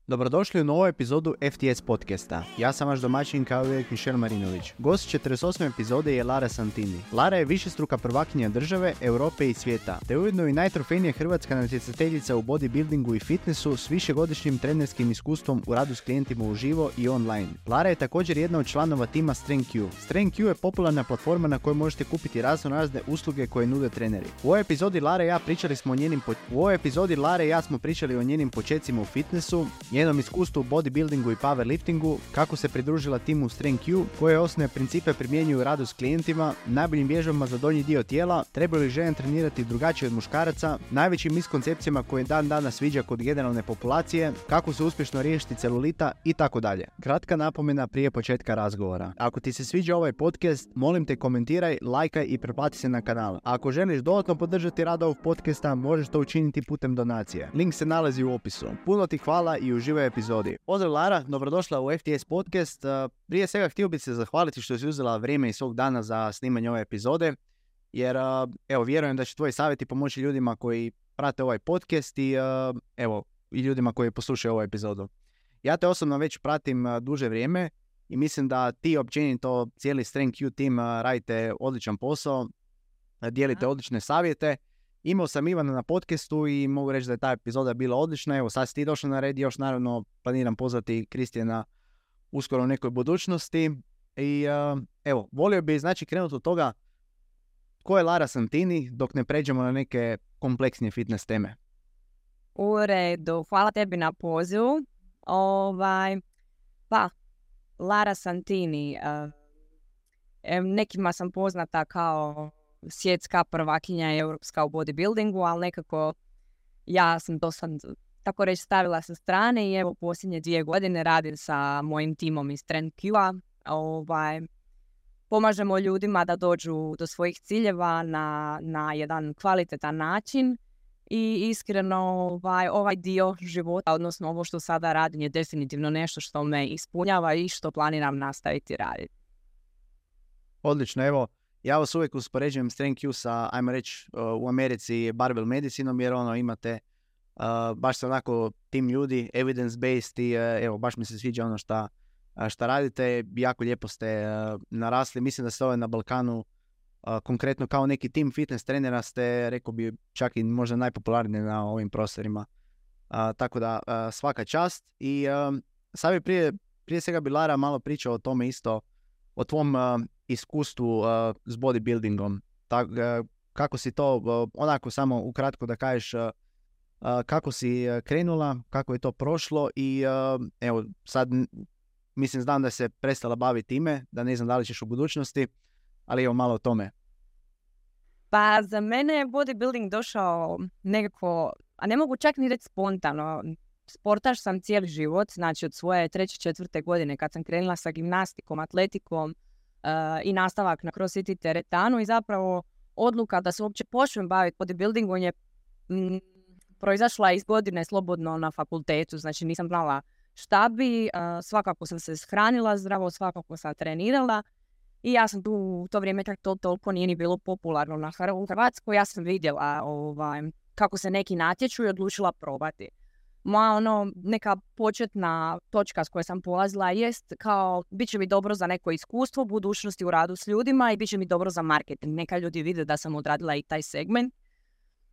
Dobrodošli u novu epizodu FTS podcasta. Ja sam vaš domaćin kao uvijek Mišel Marinović. Gost 48. epizode je Lara Santini. Lara je višestruka prvakinja države, Europe i svijeta, te ujedno i najtrofejnija hrvatska natjecateljica u bodybuildingu i fitnessu s višegodišnjim trenerskim iskustvom u radu s klijentima uživo i online. Lara je također jedna od članova tima StrengthQ. StrengthQ je popularna platforma na kojoj možete kupiti razne usluge koje nude treneri. U ovoj epizodi Lara i ja smo pričali o njenim počecima u fitnessu, njenom iskustvu u bodybuildingu i powerliftingu, kako se pridružila timu StrengthQ, koje osnovne principe primjenjuju u radu s klijentima, najboljim vježbama za donji dio tijela, trebaju li žene trenirati drugačije od muškaraca, najvećim miskoncepcijama koje dan danas sviđa kod generalne populacije, kako se uspješno riješiti celulita i tako dalje. Kratka napomena prije početka razgovora. Ako ti se sviđa ovaj podcast, molim te komentiraj, lajkaj i pretplati se na kanal. A ako želiš dodatno podržati rad ovog podcasta, možeš to učiniti putem donacije. Link se nalazi u opisu. Puno ti hvala i uživaj u epizodi. Pozdrav Lara, dobrodošla u FTS podcast. Prije svega htio bih se zahvaliti što si uzela vrijeme iz svog dana za snimanje ove epizode, jer vjerujem da će tvoji savjeti pomoći ljudima koji prate ovaj podcast i i ljudima koji poslušaju ovu epizodu. Ja te osobno već pratim duže vrijeme i mislim da ti općenito cijeli StrengthQ tim radite odličan posao, dijelite odlične savjete. Imao sam Ivana na podcastu i mogu reći da je ta epizoda bila odlična. Evo sad si ti došla na red, još naravno planiram pozvati Kristijana uskoro u nekoj budućnosti. I volio bih krenuti od toga ko je Lara Santini dok ne pređemo na neke kompleksnije fitness teme. U redu, hvala tebi na pozivu. Lara Santini, nekima sam poznata kao svjetska prvakinja i europska u bodybuildingu, ali nekako ja sam to sad tako reći stavila sa strane i evo posljednje 2 godine radim sa mojim timom iz StrengthQ-a. Pomažemo ljudima da dođu do svojih ciljeva na jedan kvalitetan način i iskreno ovaj dio života, odnosno ovo što sada radim, je definitivno nešto što me ispunjava i što planiram nastaviti raditi. Odlično, evo. Ja vas uvijek uspoređujem StrengthQ sa, ajmo reći, u Americi barbell medicinom, jer imate baš se onako tim ljudi, evidence-based i baš mi se sviđa ono šta radite, jako lijepo ste narasli. Mislim da ste na Balkanu konkretno kao neki tim fitness trenera ste, rekao bi, čak i možda najpopularniji na ovim prostorima. Tako da svaka čast. I sad bi prije svega bi Lara malo pričao o tome isto, o tvom iskustvu s bodybuildingom. Kako si to, onako samo ukratko da kažeš kako si krenula, kako je to prošlo i sad znam da se prestala baviti time, da ne znam da li ćeš u budućnosti, ali malo o tome. Pa za mene je bodybuilding došao nekako, a ne mogu čak ni reći spontano. Sportaš sam cijeli život, znači od svoje 3. 4. godine kad sam krenula sa gimnastikom, atletikom i nastavak na crossfit i teretanu i zapravo odluka da se uopće počnem baviti bodybuildingom je proizašla iz godine slobodno na fakultetu, znači nisam znala šta bi, svakako sam se shranila zdravo, svakako sam trenirala i ja sam tu u to vrijeme to toliko nije ni bilo popularno u Hrvatskoj, ja sam vidjela kako se neki natječu i odlučila probati. Moja neka početna točka s koje sam polazila jest kao bit će mi dobro za neko iskustvo u budućnosti u radu s ljudima i bit će mi dobro za marketing. Neka ljudi vide da sam odradila i taj segment.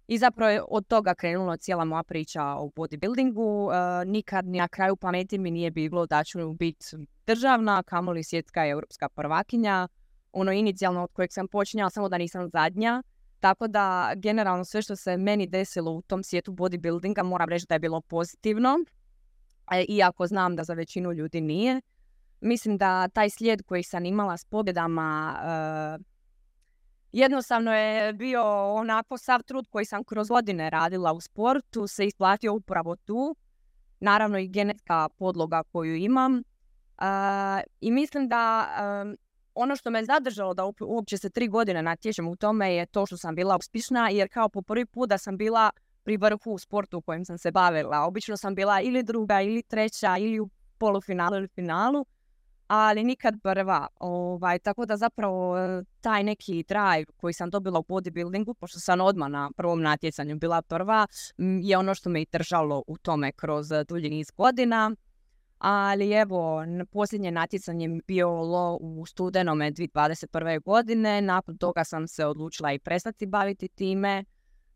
I zapravo je od toga krenula cijela moja priča o bodybuildingu. Nikad ni na kraju pameti mi nije bilo da ću biti državna, kamoli svjetska i europska prvakinja. Inicijalno od kojeg sam počinjala, samo da nisam zadnja. Tako da, generalno, sve što se meni desilo u tom svijetu bodybuildinga moram reći da je bilo pozitivno, iako znam da za većinu ljudi nije. Mislim da taj slijed koji sam imala s pobjedama jednostavno je bio onako sav trud koji sam kroz godine radila u sportu se isplatio upravo tu. Naravno i genetska podloga koju imam. I mislim da ono što me zadržalo da uopće se 3 godine natječem u tome je to što sam bila uspješna, jer kao po prvi put da sam bila pri vrhu u sportu u kojem sam se bavila. Obično sam bila ili druga, ili treća, ili u polufinalu ili finalu. ali nikad prva. Tako da zapravo taj neki drive koji sam dobila u bodybuildingu, pošto sam odmah na prvom natjecanju bila prva, je ono što me i držalo u tome kroz dulji niz godina. Ali evo, posljednje natjecanje mi bilo u studenome 2021. godine. Nakon toga sam se odlučila i prestati baviti time.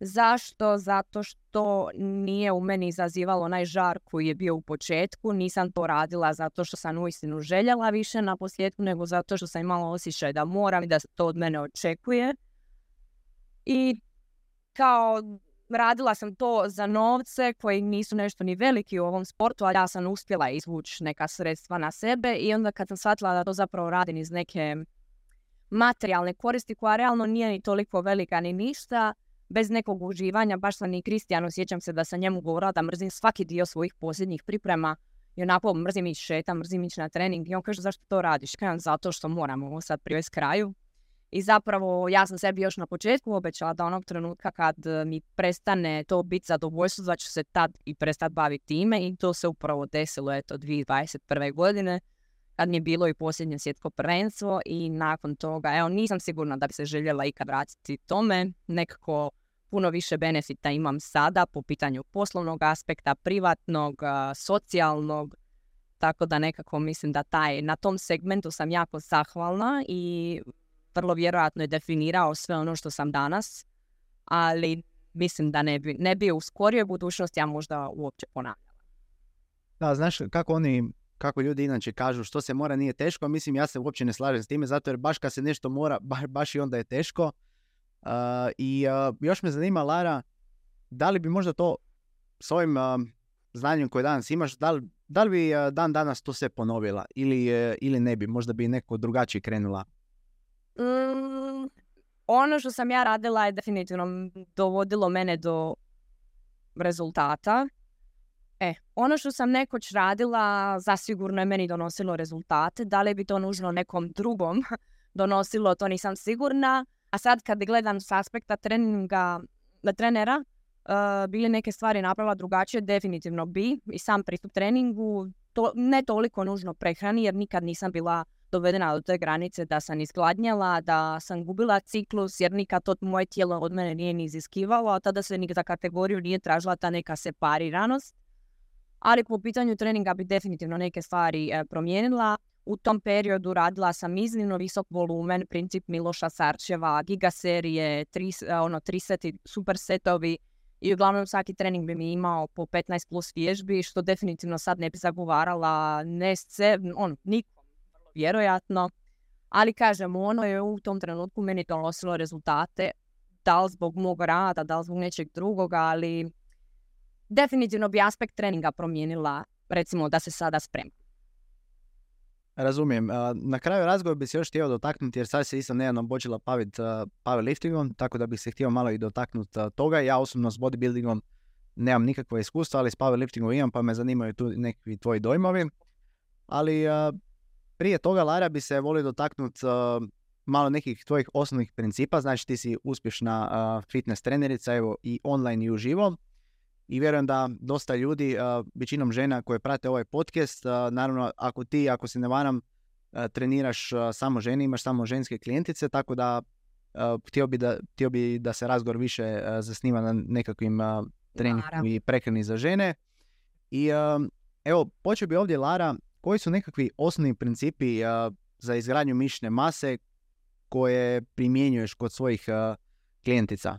Zašto? Zato što nije u meni izazivalo onaj žar koji je bio u početku. Nisam to radila zato što sam uistinu željela više na posljedku, nego zato što sam imala osjećaj da moram i da se to od mene očekuje. I kao radila sam to za novce koji nisu nešto ni veliki u ovom sportu, ali ja sam uspjela izvući neka sredstva na sebe i onda kad sam shvatila da to zapravo radim iz neke materijalne koristi koja realno nije ni toliko velika ni ništa, bez nekog uživanja, baš sam i Kristijanu, sjećam se da sam njemu govorila da mrzim svaki dio svojih posljednjih priprema i onako mrzim ići šetam, mrzim ići na trening i on kaže zašto to radiš? Kažem zato što moram ovo sad privesti kraju. I zapravo ja sam sebi još na početku obećala da onog trenutka kad mi prestane to biti zadovoljstvo, da ću se tad i prestati baviti time i to se upravo desilo 2021. godine kad mi je bilo i posljednje svjetsko prvenstvo i nakon toga, nisam sigurna da bi se željela ikad vratiti tome, nekako puno više benefita imam sada po pitanju poslovnog aspekta, privatnog, socijalnog, tako da nekako mislim da na tom segmentu sam jako zahvalna i vrlo vjerojatno je definirao sve ono što sam danas, ali mislim da ne bi u skorijoj budućnosti ja možda uopće ponavljala. Da, znaš kako ljudi inače kažu što se mora nije teško, mislim ja se uopće ne slažem s time, zato jer baš kad se nešto mora, baš i onda je teško. Još me zanima, Lara, da li bi možda to s ovim znanjem koje danas imaš, da li bi dan danas to sve ponovila ili ne bi, možda bi neko drugačije krenula? Ono što sam ja radila je definitivno dovodilo mene do rezultata. Ono što sam nekoć radila zasigurno je meni donosilo rezultate. Da li bi to nužno nekom drugom donosilo, to nisam sigurna. A sad kad gledam s aspekta trenera, bi li neke stvari napravila drugačije? Definitivno bi. I sam pristup treningu, ne toliko nužno prehrani, jer nikad nisam bila dovedena do te granice da sam izgladnjala, da sam gubila ciklus, jer nikad to moje tijelo od mene nije ni iziskivalo, a tada se ni za kategoriju nije tražila ta neka separiranost. Ali po pitanju treninga bi definitivno neke stvari promijenila. U tom periodu radila sam iznimno visok volumen, princip Miloša Sarčeva, giga serije, 3 seti, super setovi i uglavnom svaki trening bi mi imao po 15 plus vježbi, što definitivno sad ne bi zagovarala nikom, vjerojatno. Ali kažem, ono je u tom trenutku meni donosilo rezultate, da li zbog mog rada, da li zbog nečeg drugoga, ali definitivno bi aspekt treninga promijenila, recimo da se sada spremam. Razumijem. Na kraju razgovora bi se još htio dotaknuti, jer sad se isto nedavno počela baviti powerliftingom, tako da bih se htio malo i dotaknuti toga. Ja osobno s bodybuildingom nemam nikakvo iskustvo, ali s powerliftingom imam, pa me zanimaju tu neki tvoji dojmovi. Ali prije toga, Lara, bi se volio dotaknuti malo nekih tvojih osnovnih principa. Znači ti si uspješna fitness trenerica, evo i online i uživo. I vjerujem da dosta ljudi, većinom žena koje prate ovaj podcast, naravno ako se ne treniraš samo žene, imaš samo ženske klijentice, tako da htio bi da se razgovor više zasniva na nekakvim treningu i prehrani za žene. I evo, počeo bi ovdje, Lara, koji su nekakvi osnovni principi za izgradnju mišićne mase koje primjenjuješ kod svojih klijentica?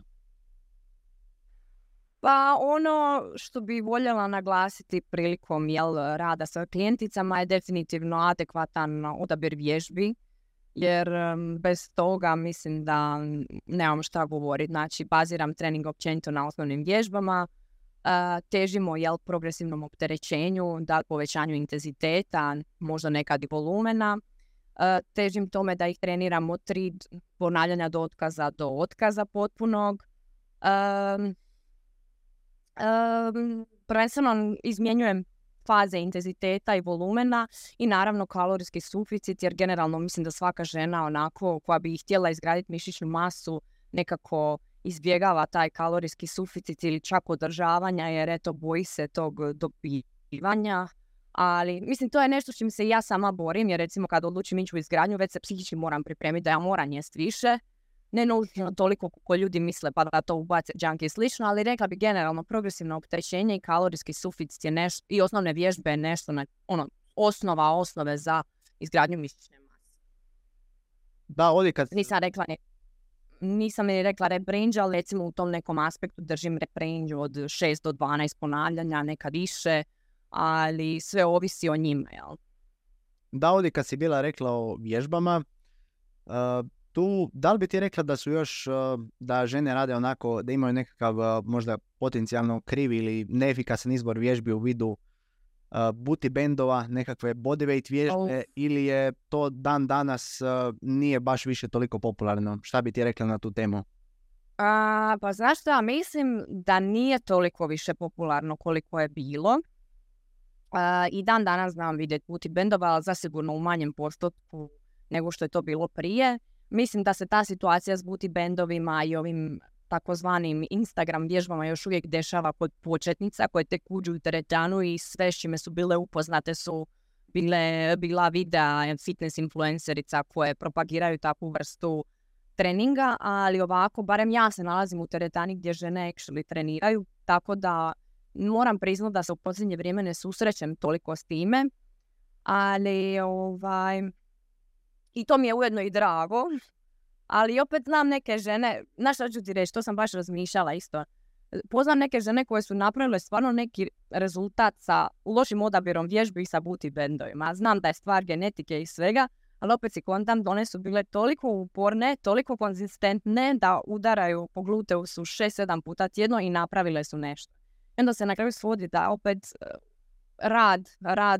Pa ono što bi voljela naglasiti prilikom rada sa klijenticama je definitivno adekvatan odabir vježbi, jer bez toga mislim da nemam šta govoriti. Znači, baziram trening općenito na osnovnim vježbama, težimo progresivnom opterećenju, da povećanju intenziteta, možda nekad i volumena. Težim tome da ih treniram od 3 ponavljanja do otkaza potpunog. Prvenstveno izmjenjujem faze intenziteta i volumena i naravno kalorijski suficit, jer generalno mislim da svaka žena onako koja bi htjela izgraditi mišićnu masu nekako izbjegava taj kalorijski suficit ili čak održavanja, jer boji se tog dobivanja. Ali, mislim, to je nešto s čim se ja sama borim, jer recimo kad odlučim ići u izgradnju, već se psihički moram pripremiti da ja moram jest više. Ne nužno toliko kako ljudi misle pa da to ubace junk i slično, ali rekla bi generalno progresivno opterećenje i kalorijski suficit je nešto, i osnovne vježbe je nešto, osnove za izgradnju mišićne mase. Da, ovdje kad... Nisam ni rekla rep range, ali recimo u tom nekom aspektu držim rep range od 6 do 12 ponavljanja, neka više, ali sve ovisi o njima, jel? Da, ovdje kad si bila rekla o vježbama, tu, da li bi ti rekla da su još, da žene rade onako, da imaju nekakav možda potencijalno krivi ili neefikasan izbor vježbi u vidu booty bandova, nekakve bodyweight vježbe, ili je to dan danas nije baš više toliko popularno? Šta bi ti rekla na tu temu? Pa znaš šta, mislim da nije toliko više popularno koliko je bilo. I dan danas znam vidjeti booty bandova, ali zasigurno u manjem postotku nego što je to bilo prije. Mislim da se ta situacija s booty bandovima i ovim takozvanim Instagram vježbama još uvijek dešava kod početnica koje tek uđu u teretanu i sve s čime su bile upoznate su bila videa fitness influencerica koje propagiraju takvu vrstu treninga, ali ovako, barem ja se nalazim u teretani gdje žene actually treniraju, tako da moram priznati da se u posljednje vrijeme ne susrećem toliko s time, ali i to mi je ujedno i drago. Ali opet znam neke žene, znaš što ću ti reći, to sam baš razmišljala isto. Poznam neke žene koje su napravile stvarno neki rezultat sa lošim odabirom vježbi i sa booty bandovima. Znam da je stvar genetike i svega, ali opet si kontam da one su bile toliko uporne, toliko konzistentne da udaraju po gluteusu 6-7 puta tjedno i napravile su nešto. I onda se na kraju svodi da opet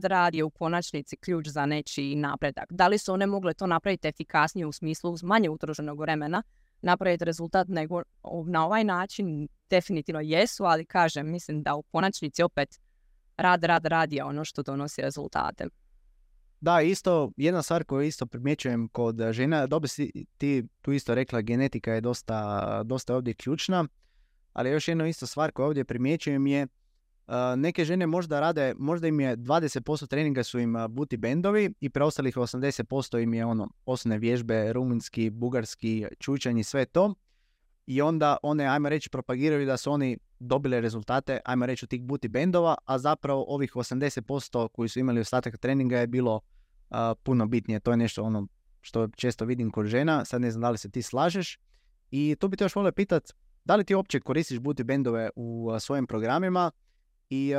rad je u konačnici ključ za nečiji napredak. Da li su one mogle to napraviti efikasnije u smislu uz manje utrošenog vremena, napraviti rezultat nego na ovaj način? Definitivno jesu, ali kažem, mislim da u konačnici opet rad je ono što donosi rezultate. Da, isto, jedna stvar koju isto primjećujem kod žena, dobro si ti tu isto rekla, genetika je dosta ovdje ključna, ali još jedna isto stvar koju ovdje primjećujem je neke žene možda im je 20% treninga su im booty bandovi i preostalih 80% im je osnovne vježbe, rumunjski, bugarski, čučanj i sve to. I onda one, ajmo reći, propagiraju da su oni dobili rezultate, ajmo reći, od tih booty bandova, a zapravo ovih 80% koji su imali ostatak treninga je bilo puno bitnije. To je nešto što često vidim kod žena, sad ne znam da li se ti slažeš. I tu bi te još volio pitati, da li ti uopće koristiš booty bandove u svojim programima? I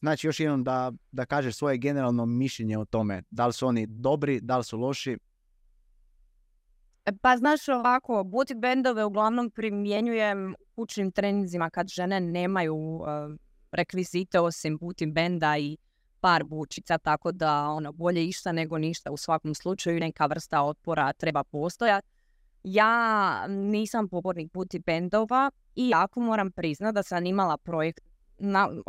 znači još jednom da kažeš svoje generalno mišljenje o tome. Da li su oni dobri, da li su loši? Pa znaš ovako, booty bandove uglavnom primjenjujem u kućnim treninzima kad žene nemaju rekvizite osim booty banda i par bučica, tako da bolje išta nego ništa. U svakom slučaju neka vrsta otpora treba postojati. Ja nisam pobornik booty bandova i jako moram priznati da sam imala projekt.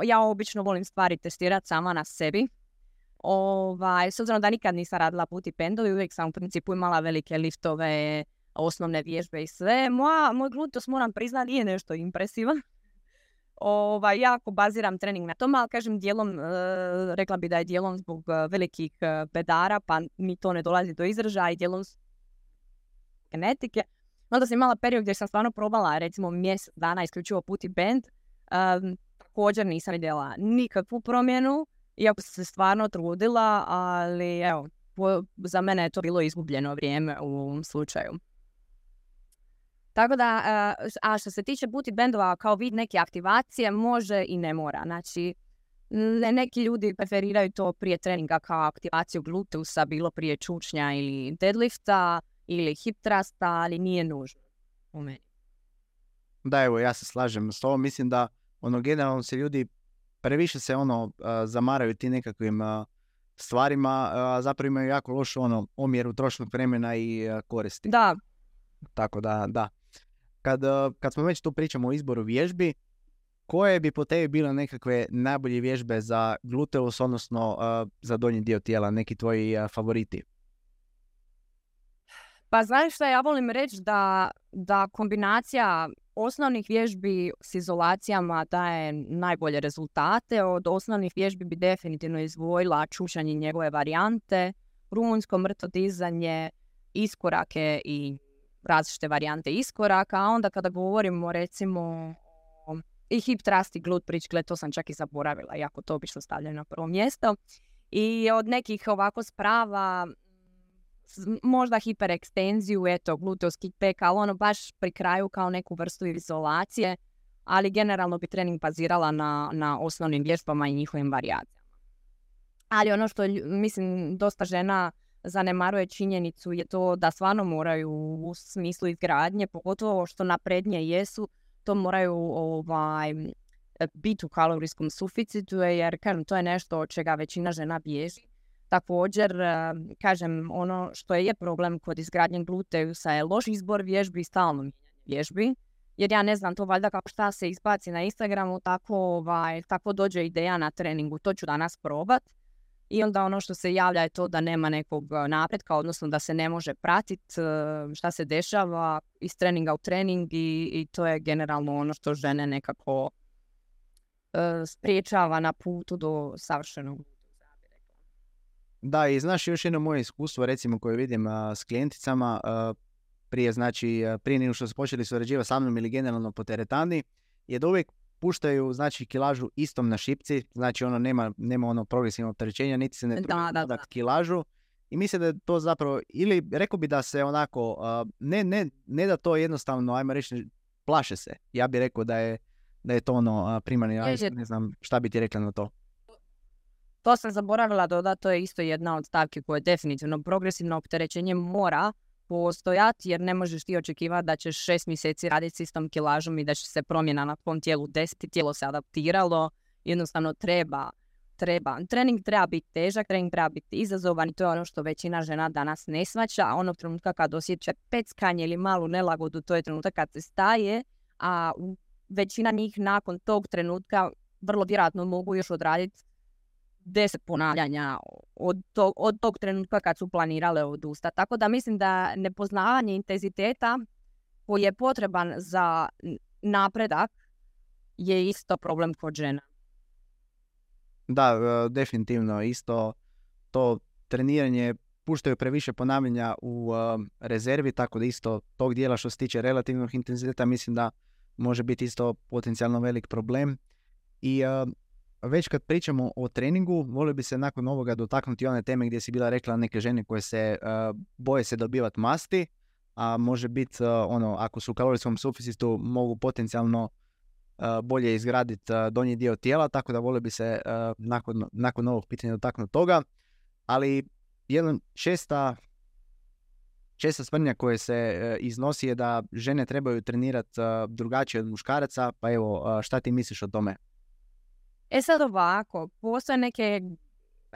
Ja obično volim stvari testirati sama na sebi. S obzirom da nikad nisam radila booty bandovi, uvijek sam u principu imala velike liftove, osnovne vježbe i sve. Moj gluteus, moram priznati, nije nešto impresivan. Jako baziram trening na tome, ali kažem dijelom, rekla bi da je dijelom zbog velikih bedara, pa mi to ne dolazi do izražaja, i dijelom genetike. Onda sam imala period gdje sam stvarno probala, recimo mjesec dana isključivo booty band. Također nisam vidjela nikakvu promjenu, iako sam se stvarno trudila, ali evo, za mene je to bilo izgubljeno vrijeme u ovom slučaju. Tako da, a što se tiče booty bandova kao vid neke aktivacije, može i ne mora. Znači, neki ljudi preferiraju to prije treninga kao aktivaciju gluteusa, bilo prije čučnja ili deadlifta ili hip thrusta, ali nije nužno u meni. Da, evo, ja se slažem s tobom. Mislim da generalno se ljudi previše se zamaraju ti nekakvim stvarima, a zapravo imaju jako lošu omjer utrošenog vremena i koristi. Da. Tako da. Kad smo već tu pričamo o izboru vježbi, koje bi po tebi bile nekakve najbolje vježbe za gluteus, odnosno za donji dio tijela, neki tvoji favoriti? Pa znaš šta, ja volim reći da kombinacija osnovnih vježbi s izolacijama daje najbolje rezultate. Od osnovnih vježbi bi definitivno izdvojila čušanje i njegove varijante, rumunjsko mrtvo dizanje, iskorake i različite varijante iskoraka. A onda kada govorimo recimo i hip thrust i glute bridge, gled, to sam čak i zaboravila, jako to obično stavljaju na prvo mjesto. I od nekih ovako sprava možda hiperekstenziju, eto, gluteus kickback, ali ono baš pri kraju kao neku vrstu izolacije, ali generalno bi trening bazirala na osnovnim vježbama i njihovim varijacijama. Ali ono što, mislim, dosta žena zanemaruje činjenicu je to da stvarno moraju u smislu izgradnje, pogotovo što naprednije jesu, to moraju biti u kalorijskom suficitu, jer kažem, to je nešto od čega većina žena bježi. Također, kažem, ono što je problem kod izgradnje gluteusa je loš izbor vježbi i stalno mijenjanje vježbi. Jer ja ne znam, to valjda kako šta se izbaci na Instagramu, tako dođe ideja na treningu, to ću danas probat. I onda ono što se javlja je to da nema nekog napretka, odnosno da se ne može pratiti šta se dešava iz treninga u trening i to je generalno ono što žene nekako spriječava na putu do savršenog. Da, i znaš, još jedno moje iskustvo, recimo, koje vidim s klijenticama, prije nego što su počeli surađivati sa mnom ili generalno po teretani, je da uvijek puštaju, znači, kilažu istom na šipci, znači ono nema ono progresivno opterećenja, niti se ne trude kilažu. I mislim da je to zapravo, ili rekao bi da se onako, ne da to jednostavno, ajmo reći, plaše se. Ja bih rekao da je to ono primarni, ne znam šta bi ti rekla na to. To sam zaboravila dodati, to je isto jedna od stavki koje definitivno progresivno opterećenje mora postojati, jer ne možeš ti očekivati da ćeš 6 mjeseci raditi s istom kilažom i da će se promjena na tvom tijelu desiti, tijelo se adaptiralo, jednostavno treba. Trening treba biti težak, trening treba biti izazovan i to je ono što većina žena danas ne shvaća, a onog trenutka kad osjeća peckanje ili malu nelagodu, to je trenutak kad se staje, a većina njih nakon tog trenutka vrlo vjerojatno mogu još odraditi 10 ponavljanja od tog trenutka kad su planirale odustati. Tako da mislim da nepoznavanje intenziteta koji je potreban za napredak je isto problem kod žena. Da, definitivno isto to treniranje puštaju previše ponavljanja u rezervi, tako da isto tog dijela što se tiče relativnog intenziteta mislim da može biti isto potencijalno velik problem. I već kad pričamo o treningu, volio bi se nakon ovoga dotaknuti one teme gdje si bila rekla neke žene koje se boje se dobivati masti, a može biti ako su u kalorijskom suficitu mogu potencijalno bolje izgraditi donji dio tijela, tako da volio bi se nakon ovog pitanja dotaknuti toga. Ali jedna česta sprdnja koja se iznosi je da žene trebaju trenirati drugačije od muškaraca, pa evo, šta ti misliš o tome? Sad ovako, postoje neke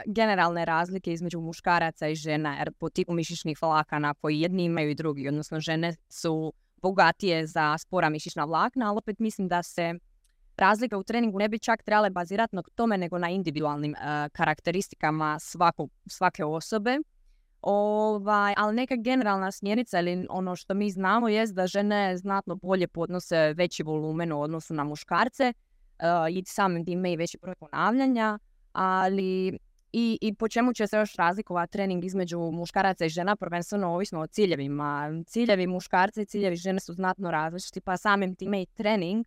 generalne razlike između muškaraca i žena, jer po tipu mišićnih vlakana koji jedni imaju i drugi, odnosno žene su bogatije za spora mišićna vlakna, ali opet mislim da se razlike u treningu ne bi čak trebale bazirati na tome nego na individualnim karakteristikama svake osobe. Ali neka generalna smjernica ili ono što mi znamo je da žene znatno bolje podnose veći volumen u odnosu na muškarce, i samim time i veći broj ponavljanja, ali i po čemu će se još razlikovati trening između muškaraca i žena, prvenstveno ovisno o ciljevima. Ciljevi muškarca i ciljevi žene su znatno različiti, pa samim time i trening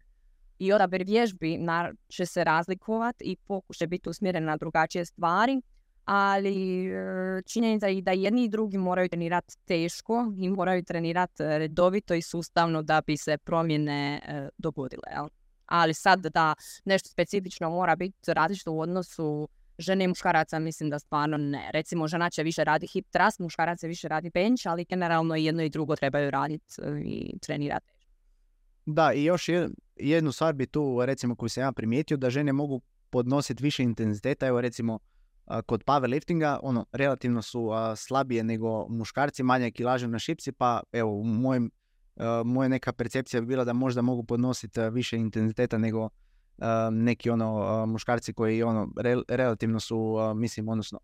i odabir vježbi će se razlikovati i pokušaj biti usmjeren na drugačije stvari, ali činjenica je da jedni i drugi moraju trenirati teško i moraju trenirati redovito i sustavno da bi se promjene dogodile, jel? Ali sad da nešto specifično mora biti različito u odnosu žene i muškaraca, mislim da stvarno ne. Recimo, žena će više radi hip thrust, muškarac će više radi bench, ali generalno jedno i drugo trebaju raditi i trenirati. Da, i još jednu stvar bi tu, recimo, koju sam ja primijetio, da žene mogu podnositi više intenziteta. Evo, recimo, kod powerliftinga, relativno su slabije nego muškarci, manje kilaže na šipci, pa evo, u moja neka percepcija bi bila da možda mogu podnositi više intenziteta nego neki muškarci koji relativno su, mislim, odnosno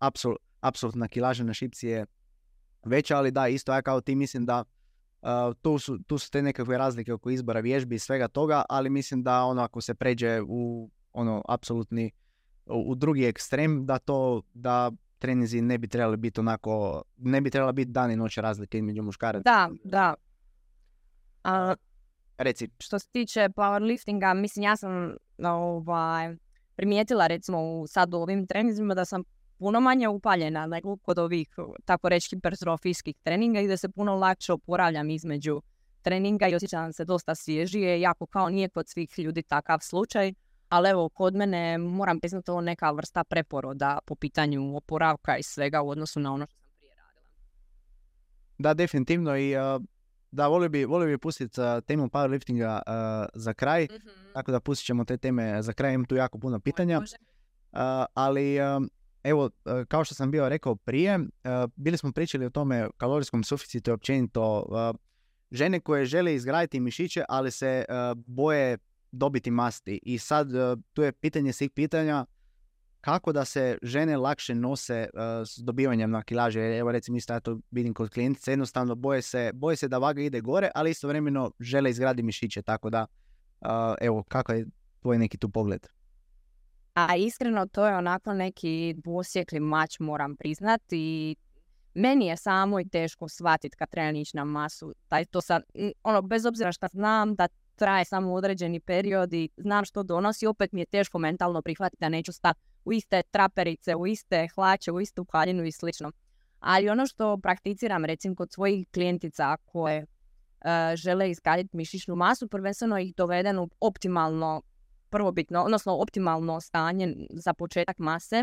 apsolutna kilaža na šipci je veća, ali da, isto ja kao ti mislim da tu su te nekakve razlike oko izbora vježbi i svega toga, ali mislim da ono ako se pređe u ono apsolutni u drugi ekstrem, da treninzi ne bi trebali biti onako, ne bi trebala biti dan i noć razlike između muškaraca. Da. Reci. Što se tiče powerliftinga, mislim ja sam primijetila recimo sad u ovim treninzima da sam puno manje upaljena nego kod ovih, tako reći, hipertrofijskih treninga i da se puno lakše oporavljam između treninga i osjećam se dosta svježije, jako kao nije kod svih ljudi takav slučaj, ali evo kod mene moram priznati ovo neka vrsta preporoda po pitanju oporavka i svega u odnosu na ono što sam prije radila. Da, definitivno i da, volio bi pustiti temu powerliftinga za kraj, tako da pustit ćemo te teme za kraj, imam tu jako puno pitanja. Ali evo, kao što sam bio rekao prije, bili smo pričali o tome kalorijskom suficitu i općenito žene koje žele izgraditi mišiće, ali se boje dobiti masti. I sad tu je pitanje svih pitanja, kako da se žene lakše nose s dobivanjem na kilaže. Evo recimo isto ja to vidim kod klijentice, jednostavno boje se da vaga ide gore, ali istovremeno žele izgraditi mišiće, tako da evo, kako je tvoj neki tu pogled? A iskreno to je onako neki dvosjekli mač, moram priznati, i meni je samo i teško shvatiti kad treba ići na masu. To sad, bez obzira što znam da traje samo određeni period i znam što donosi, opet mi je teško mentalno prihvatiti da neću stati u iste traperice, u iste hlače, u istu haljinu i slično. Ali ono što prakticiram recimo kod svojih klijentica koje žele izgraditi mišićnu masu, prvenstveno ih dovedem u optimalno prvobitno, odnosno optimalno stanje za početak mase,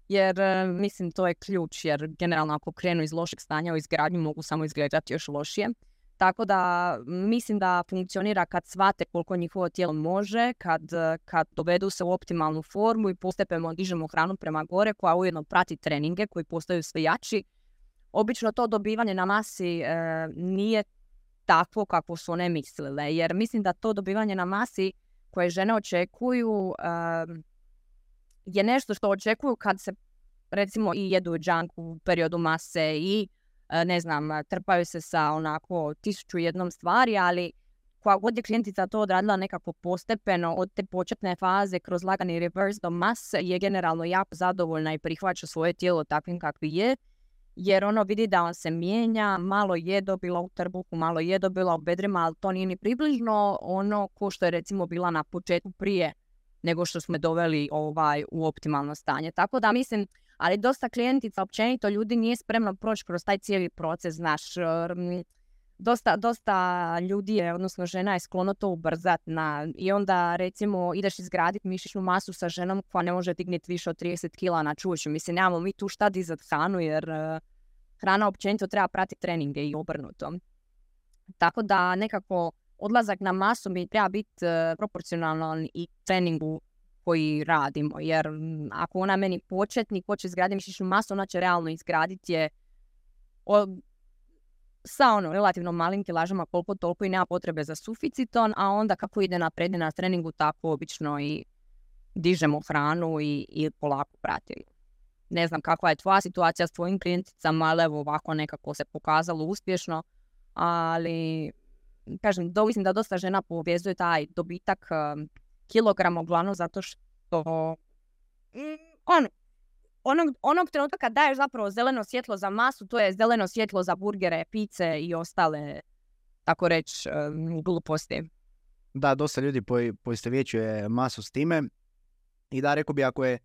jer mislim to je ključ, jer generalno ako krenu iz lošeg stanja u izgradnju mogu samo izgledati još lošije. Tako da mislim da funkcionira kad shvate koliko njihovo tijelo može, kad dovedu se u optimalnu formu i postepeno dižemo hranu prema gore koja ujedno prati treninge koji postaju sve jači. Obično to dobivanje na masi nije takvo kako su one mislile, jer mislim da to dobivanje na masi koje žene očekuju je nešto što očekuju kad se recimo i jedu junk u periodu mase i ne znam, trpaju se sa onako 1001 stvari, ali koja god je klijentica to odradila nekako postepeno od te početne faze kroz lagani reverse do mase je generalno jako zadovoljna i prihvaća svoje tijelo takvim kakvi je, jer ono vidi da on se mijenja, malo je dobila u trbuhu, malo je dobila u bedrima, ali to nije ni približno ono ko što je recimo bila na početku prije nego što smo doveli u optimalno stanje. Tako da mislim, ali dosta klijentica, općenito ljudi nije spremno proći kroz taj cijeli proces, znaš, dosta ljudi je, odnosno žena je sklono to ubrzat i onda recimo ideš izgraditi mišićnu masu sa ženom koja ne može digniti više od 30 kila na čuču. Mislim, nemamo mi tu šta dizat hranu jer hrana općenito treba pratiti treninge i obrnuto. Tako da nekako odlazak na masu mi treba biti proporcionalan i treningu koji radimo, jer ako ona meni početnik hoće izgraditi mišićnu masu, ona će realno izgraditi je sa relativno malim kilažama koliko toliko i nema potrebe za suficiton, a onda kako ide napred na treningu tako obično i dižemo hranu i polako pratimo. Ne znam kakva je tvoja situacija s tvojim klijenticama, ali evo ovako nekako se pokazalo uspješno, ali kažem, mislim da dosta žena povezuje taj dobitak kilograma uglavnom zato što onog trenutka kad daješ zapravo zeleno svjetlo za masu, to je zeleno svjetlo za burgere, pice i ostale, tako reći, gluposti. Da, dosta ljudi poistovjećuje masu s time i da, rekao bi, ako je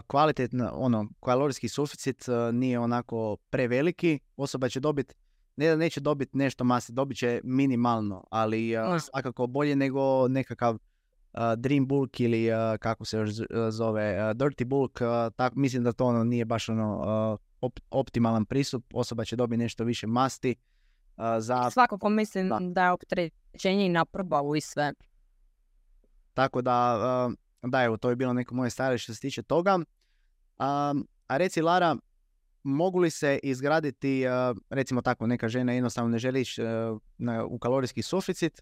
kvalitetno, kalorijski suficit nije onako preveliki, osoba će dobiti, ne da neće dobiti nešto mase, dobit će minimalno, ali svakako bolje nego nekakav Dream Bulk ili kako se još zove Dirty Bulk, mislim da to nije baš optimalan pristup, osoba će dobiti nešto više masti. Svakako mislim da je opterećenje i na probavu i sve. Tako da, evo, to je bilo neko moje stajalište što se tiče toga. A reci, Lara, mogu li se izgraditi, recimo tako, neka žena jednostavno ne želi ići u kalorijski suficit,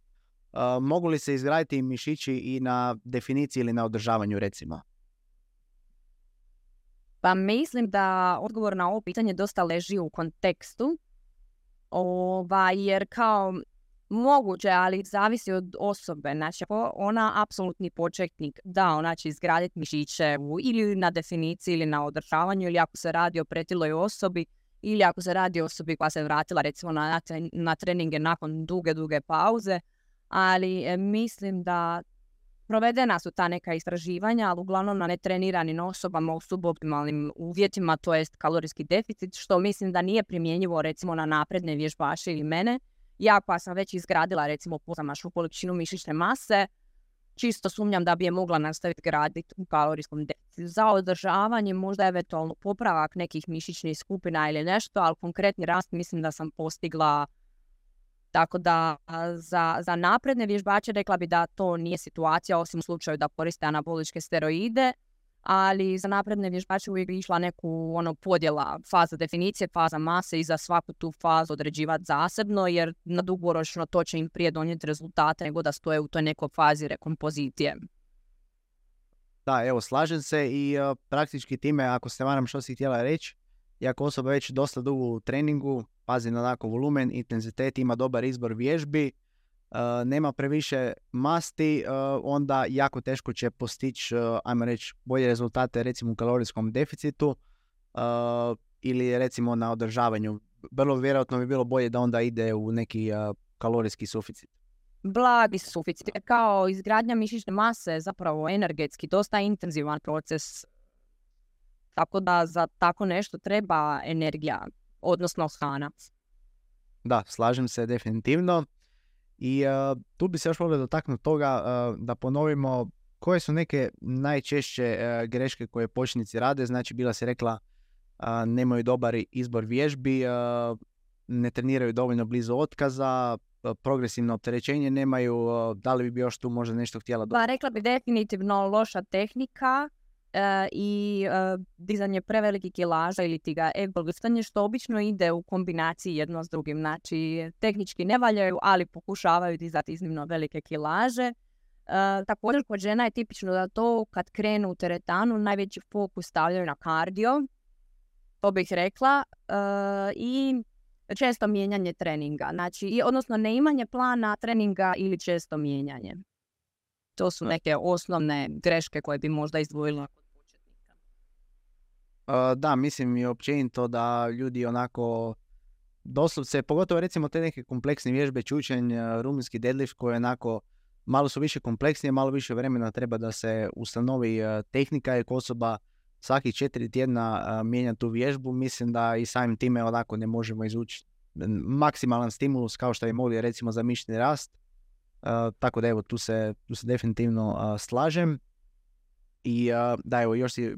mogu li se izgraditi mišići i na definiciji ili na održavanju, recimo? Pa mislim da odgovor na ovo pitanje dosta leži u kontekstu, jer kao moguće, ali zavisi od osobe. Znači, ako ona apsolutni početnik, da, ona će izgraditi mišiće ili na definiciji ili na održavanju, ili ako se radi o pretiloj osobi, ili ako se radi o osobi koja se vratila recimo na treninge nakon duge pauze. Ali mislim da provedena su ta neka istraživanja, ali uglavnom na netreniranim osobama u suboptimalnim uvjetima, to jest kalorijski deficit, što mislim da nije primjenjivo recimo na napredne vježbače ili mene. Ja koja sam već izgradila recimo pozamašnu količinu mišićne mase, čisto sumnjam da bi je mogla nastaviti graditi u kalorijskom deficitu. Za održavanje možda eventualno popravak nekih mišićnih skupina ili nešto, ali konkretni rast mislim da sam postigla. Tako da za napredne vježbače rekla bi da to nije situacija, osim u slučaju da koriste anaboličke steroide, ali za napredne vježbače uvijek bi išla neku podjela faza definicije, faza mase i za svaku tu fazu određivati zasebno, jer na dugoročno to će im prije donijeti rezultate nego da stoje u toj nekoj fazi rekompozicije. Da, evo, slažem se i praktički time, ako se varam što si htjela reći, i ako osoba već dosta dugo u treningu, pazi na onako volumen, intenzitet, ima dobar izbor vježbi, nema previše masti, onda jako teško će postići, ajmo reći, bolje rezultate recimo u kalorijskom deficitu ili recimo na održavanju. Vrlo vjerojatno bi bilo bolje da onda ide u neki kalorijski suficit. Blagi suficit, kao izgradnja mišićne mase, zapravo energetski, dosta intenzivan proces. Tako da za tako nešto treba energija, odnosno hrana. Da, slažem se definitivno. I tu bi se još volio dotaknuti toga da ponovimo koje su neke najčešće greške koje početnici rade. Znači, bila si rekla nemaju dobar izbor vježbi, ne treniraju dovoljno blizu otkaza, progresivno opterećenje nemaju. Da li bi još tu možda nešto htjela dodati? Pa rekla bi definitivno loša tehnika i dizanje prevelikih kilaža ili ti ga egolistanje, što obično ide u kombinaciji jedno s drugim. Znači, tehnički ne valjaju, ali pokušavaju dizati iznimno velike kilaže. Također kod žena je tipično da to kad krenu u teretanu najveći fokus stavljaju na kardio, to bih rekla, i često mijenjanje treninga. Znači, odnosno neimanje plana treninga ili često mijenjanje. To su neke osnovne greške koje bi možda izdvojila kod početnika. Da, mislim i općenito da ljudi onako doslovce, pogotovo recimo te neke kompleksne vježbe, čučanj, rumunjski deadlift koje onako malo su više kompleksnije, malo više vremena treba da se ustanovi tehnika, jer osoba svakih 4 tjedna mijenja tu vježbu. Mislim da i samim time onako ne možemo izvući maksimalan stimulus kao što je mogli recimo za mišićni rast. Tako da evo, tu se definitivno slažem. I da, evo, još si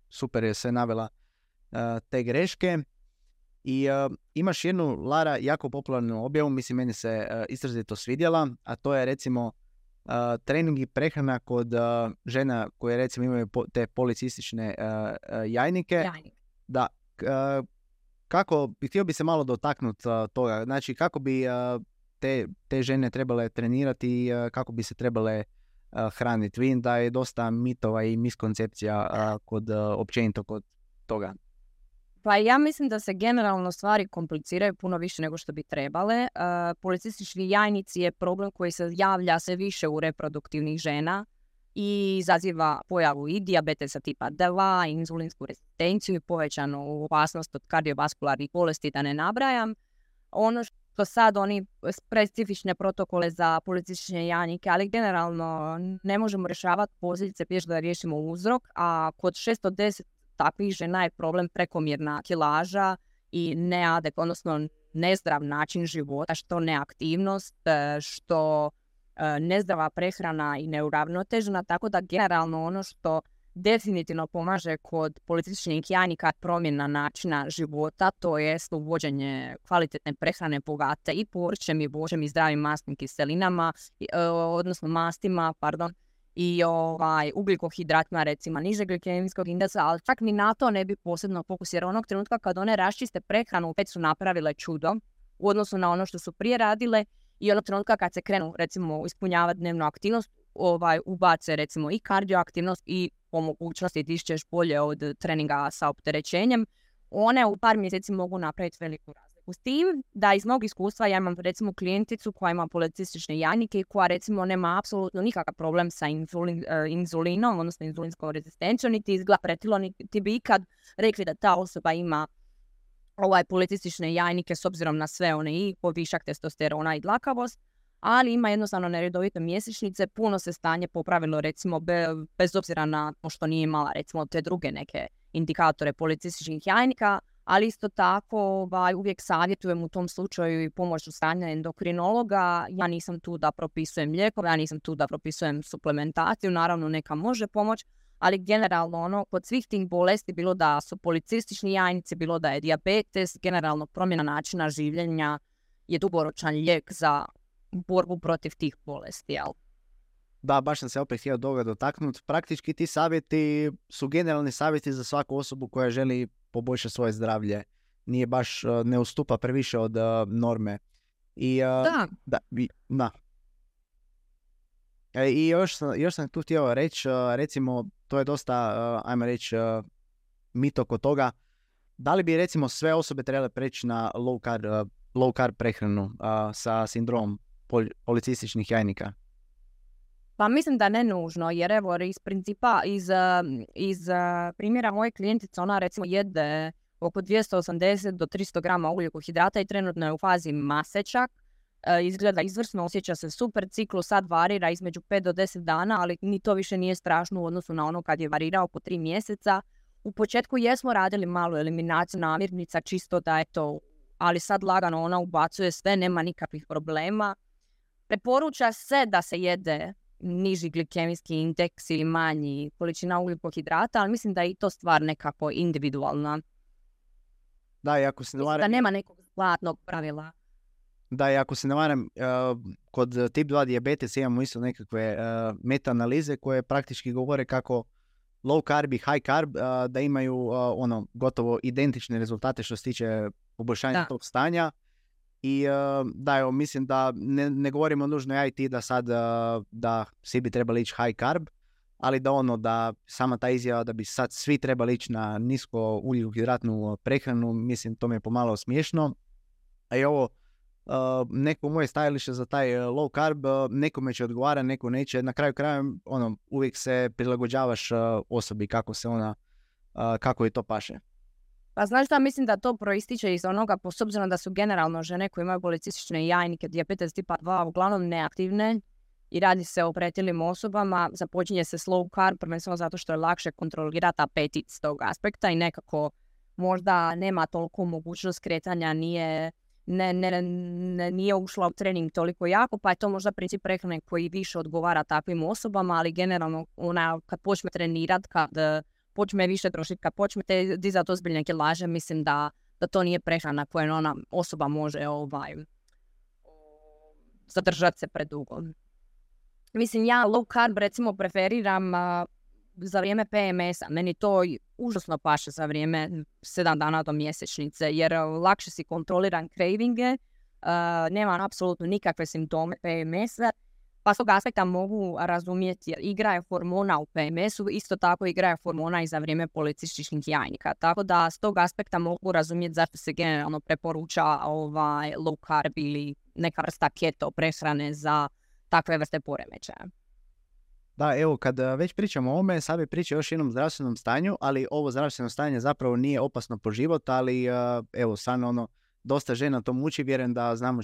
super je sve navela te greške. I imaš jednu, Lara, jako popularnu objavu, mislim meni se izrazito svidjela, a to je recimo trening i prehrana kod žena koje recimo imaju te policistične jajnike. Da, htio bi se malo dotaknuti toga, znači kako bi te žene trebale trenirati i kako bi se trebale hraniti. Vidim da je dosta mitova i miskoncepcija općenito kod toga. Pa ja mislim da se generalno stvari kompliciraju puno više nego što bi trebale. Policistički jajnici je problem koji se javlja sve više u reproduktivnih žena i izaziva pojavu i dijabetesa tipa 2, inzulinsku rezistenciju i povećanu opasnost od kardiovaskularnih bolesti, da ne nabrajam. Ono što sad oni specifične protokole za policistične jajnike, ali generalno ne možemo rješavati posljedice prije da riješimo uzrok, a kod 610 takvih žena je problem prekomjerna kilaža i odnosno nezdrav način života, što neaktivnost, što nezdrava prehrana i neuravnotežena, tako da generalno ono što definitivno pomaže kod policističnih jajnika promjena načina života, to je uvođenje kvalitetne prehrane bogate i povrćem i voćem i zdravim masnim kiselinama, odnosno mastima, i ugljikohidratima, recimo nižeg glikemijskog indeksa, ali čak ni na to ne bi posebno fokus, jer onog trenutka kad one raščiste prehranu, već su napravile čudo u odnosu na ono što su prije radile, i onog trenutka kad se krenu recimo ispunjavati dnevnu aktivnost, ubace recimo i kardioaktivnost i po mogućnosti dišćeš bolje od treninga sa opterećenjem, one u par mjeseci mogu napraviti veliku razliku. S tim da iz mog iskustva ja imam recimo klijenticu koja ima policistične jajnike i koja recimo nema apsolutno nikakav problem sa inzulinom, odnosno inzulinskom rezistencijom, niti izgleda pretilo, niti bi ikad rekli da ta osoba ima policistične jajnike s obzirom na sve one i povišak testosterona i dlakavost, ali ima jednostavno neredovite mjesečnice, puno se stanje popravilo recimo bez obzira na to što nije imala recimo te druge neke indikatore policističnih jajnika, ali isto tako uvijek savjetujem u tom slučaju i pomoć od strane endokrinologa. Ja nisam tu da propisujem lijekove, ja nisam tu da propisujem suplementaciju, naravno neka može pomoć, ali generalno kod svih tih bolesti, bilo da su policistični jajnici, bilo da je dijabetes, generalno promjena načina življenja je dugoročan lijek za borbu protiv tih bolesti, jel? Da, baš sam se opet htio toga dotaknuti. Praktički ti savjeti su generalni savjeti za svaku osobu koja želi poboljšati svoje zdravlje. Nije baš, ne ustupa previše od norme. I, da. I još sam tu htio reći, recimo, to je dosta, ajmo reći, mit oko toga. Da li bi recimo sve osobe trebale preći na low carb prehranu sa sindromom policističnih jajnika? Pa mislim da ne nužno, jer evo iz principa, iz primjera moje klijentice, ona recimo jede oko 280 do 300 grama ugljikohidrata i trenutno je u fazi masečak. Izgleda izvrsno, osjeća se super, ciklus sad varira između 5 do 10 dana, ali ni to više nije strašno u odnosu na ono kad je varirao po 3 mjeseca. U početku jesmo radili malu eliminaciju namirnica, čisto da je to, ali sad lagano ona ubacuje sve, nema nikakvih problema. Preporuča se da se jede niži glikemijski indeks ili manji količina ugljikohidrata, ali mislim da je i to stvar nekako individualna. Da, i ako se ne varam, da nema nekog zlatnog pravila. Da, i ako se ne varam, kod tip 2 dijabetesa imamo isto nekakve meta-analize koje praktički govore kako low carb i high carb da imaju gotovo identične rezultate što se tiče poboljšanja tog stanja. I da, evo, mislim da ne govorimo nužno ja i ti da sad da svi bi trebali ići high carb, ali da sama ta izjava da bi sad svi trebali ići na nisko ugljikohidratnu prehranu, mislim to mi je pomalo smiješno. A i ovo, neko moje stajalište za taj low carb, nekome će odgovara, neko neće. Na kraju kraja uvijek se prilagođavaš osobi kako je to paše. Pa znaš da mislim da to proističe iz onoga, s obzirom da su generalno žene koje imaju policistične jajnike, dijabetes tipa 2, uglavnom neaktivne i radi se o pretilim osobama, započinje se slow carb, prvenstveno zato što je lakše kontrolirati apetit s tog aspekta i nekako možda nema toliko mogućnost kretanja, nije ušla u trening toliko jako, pa je to možda princip prehrane koji više odgovara takvim osobama, ali generalno kad počne trenirati, kad počne više trošiti, kad počnete dizati ozbiljne kilaže, mislim da to nije prehrana koju ona osoba može zadržati se predugo. Mislim, ja low carb recimo preferiram za vrijeme PMS-a. Meni to užasno paše za vrijeme 7 dana do mjesečnice, jer lakše si kontroliram cravinge, nemam apsolutno nikakve simptome PMS-a, pa s tog aspekta mogu razumjeti, jer igra je hormona u PMS-u, isto tako igra je hormona i za vrijeme policističnih jajnika. Tako da s tog aspekta mogu razumjeti zašto se generalno preporuča low carb ili neka vrsta keto prehrane za takve vrste poremećaja. Da, evo, kad već pričamo o ovome, sad bi pričao još jednom zdravstvenom stanju, ali ovo zdravstveno stanje zapravo nije opasno po život, ali evo, stvarno dosta žena to muči, vjerujem da znam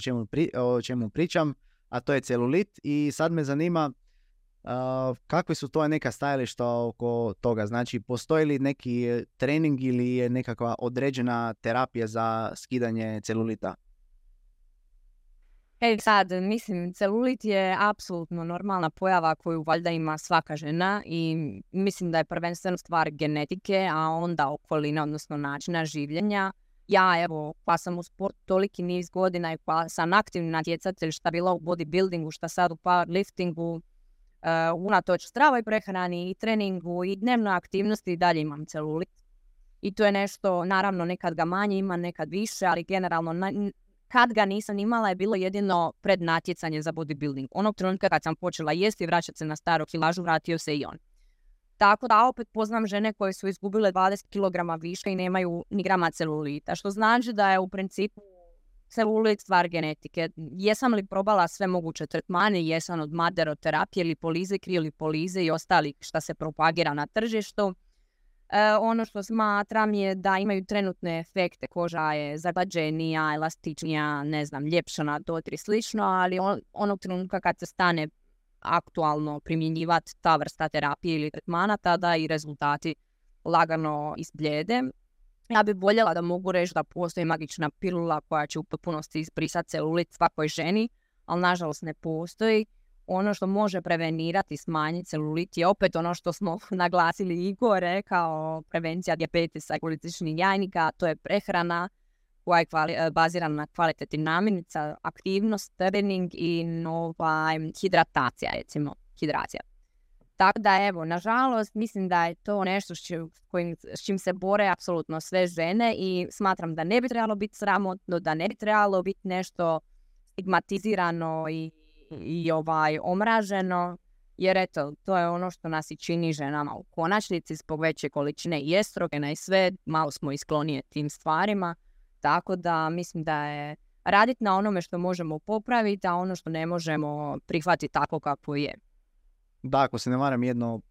o čemu pričam, a to je celulit. I sad me zanima kakve su to neka stajališta oko toga, znači postoji li neki trening ili je nekakva određena terapija za skidanje celulita? Sad, mislim, celulit je apsolutno normalna pojava koju valjda ima svaka žena i mislim da je prvenstveno stvar genetike, a onda okolina, odnosno načina življenja. Ja, evo, pa sam u sportu toliki niz godina i pa sam aktivni natjecatelj, šta bila u bodybuildingu, šta sad u powerliftingu, unatoč zdravoj prehrani i treningu i dnevnoj aktivnosti i dalje imam celulit. I to je nešto, naravno, nekad ga manje ima, nekad više, ali generalno kad ga nisam imala je bilo jedino pred natjecanje za bodybuilding. Onog trenutka kad sam počela jesti i vraćati se na staru kilažu, vratio se i on. Tako da opet poznam žene koje su izgubile 20 kg viška i nemaju ni grama celulita, što znači da je u principu celulit stvar genetike. Jesam li probala sve moguće tretmane, jesam od maderoterapije, lipolize, kriolipolize i ostali šta se propagira na tržištu. Ono što smatram je da imaju trenutne efekte, koža je zaglađenija, elastičnija, ne znam, ljepšana, dotri slično, ali onog trenutka kad se stane aktualno primjenjivati ta vrsta terapije ili tretmana, tada i rezultati lagano izbljede. Ja bih voljela da mogu reći da postoji magična pilula koja će u potpunosti izbrisati celulit svakoj ženi, ali nažalost ne postoji. Ono što može prevenirati i smanjiti celulit je opet ono što smo naglasili Igor rekao, prevencija dijabetesa i polističnih jajnika, to je prehrana koja je bazirana na kvalitetnim namirnica, aktivnost, trening i hidratacija, recimo, hidracija. Tako da, evo, nažalost, mislim da je to nešto s čim se bore apsolutno sve žene i smatram da ne bi trebalo biti sramotno, da ne bi trebalo biti nešto stigmatizirano i omraženo, jer eto, to je ono što nas i čini ženama u konačnici zbog veće količine i estrogena i sve, malo smo isklonije tim stvarima, tako da mislim da je raditi na onome što možemo popraviti, a ono što ne možemo prihvatiti tako kako je. Da, ako se ne varam,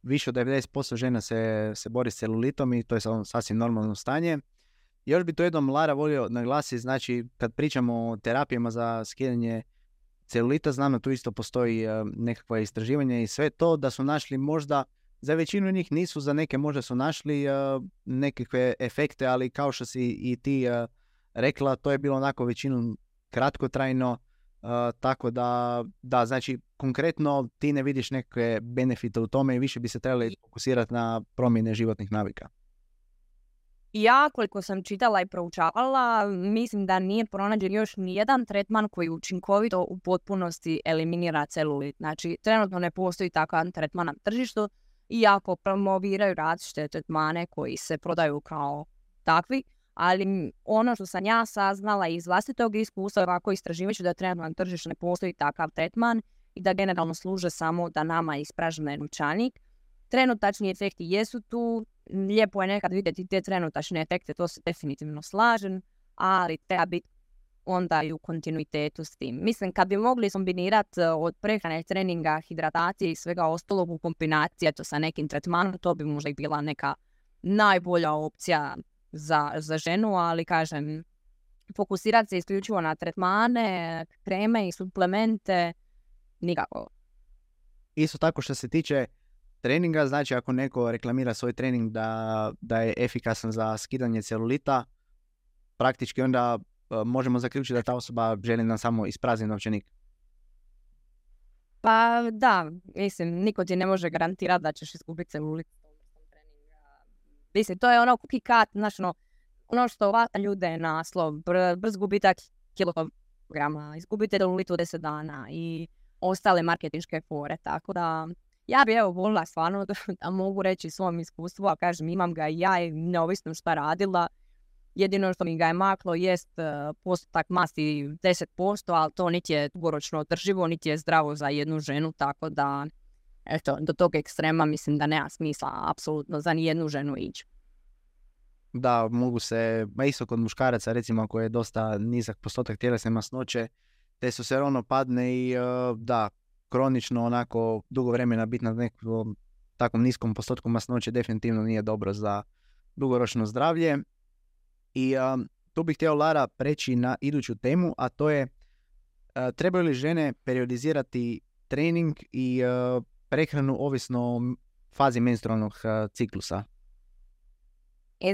više od 90% žena se bori s celulitom i to je sasvim normalno stanje. Još bi to jednom, Lara, volio naglasiti, znači kad pričamo o terapijama za skidanje celulita, znam da tu isto postoji nekakva istraživanja i sve to, da su našli možda, za većinu njih nisu, za neke možda su našli nekakve efekte, ali kao što si i ti rekla, to je bilo onako većinom kratkotrajno, tako da, znači konkretno ti ne vidiš neke benefite u tome i više bi se trebali fokusirati na promjene životnih navika. Ja, koliko sam čitala i proučavala, mislim da nije pronađen još nijedan tretman koji učinkovito u potpunosti eliminira celulit. Znači, trenutno ne postoji takav tretman na tržištu, iako promoviraju različite tretmane koji se prodaju kao takvi, ali ono što sam ja saznala iz vlastitog iskustva, ovako istraživajući da trenutno na tržištu ne postoji takav tretman i da generalno služe samo da nama ispražne novčanik. Trenutačni efekti jesu tu, lijepo je nekad vidjeti te trenutačne efekte, to se definitivno slažem, ali treba biti onda i u kontinuitetu s tim. Mislim, kad bi mogli kombinirati od prehrane, treninga, hidratacije i svega ostalog u kombinaciji sa nekim tretmanom, to bi možda i bila neka najbolja opcija za ženu, ali kažem, fokusirati se isključivo na tretmane, kreme i suplemente, nikako. Isto tako što se tiče treninga, znači ako neko reklamira svoj trening da je efikasan za skidanje celulita, praktički onda možemo zaključiti da ta osoba želi nam samo isprazniti novčanik. Pa da, mislim, niko ti ne može garantirati da ćeš izgubiti celulit. Mislim, to je ono cookie cut, znači ono što vata ljude na naslov, brz gubitak kilograma, izgubite celulit u 10 dana i ostale marketinške fore, tako da ja bi volila stvarno da mogu reći svom iskustvu, a kažem imam ga i ja i neovisno šta radila. Jedino što mi ga je maklo jest postotak masti 10%, ali to niti je dugoročno održivo, niti je zdravo za jednu ženu, tako da eto, do tog ekstrema mislim da nema smisla apsolutno za nijednu ženu ići. Da, mogu se, isto kod muškaraca recimo ako je dosta nizak postotak tjelesne masnoće, testosteron padne i da, kronično onako dugo vremena biti na nekom takvom niskom postotku masnoće definitivno nije dobro za dugoročno zdravlje. I tu bih htio, Lara, preći na iduću temu, a to je trebaju li žene periodizirati trening i prehranu ovisno o fazi menstrualnog ciklusa?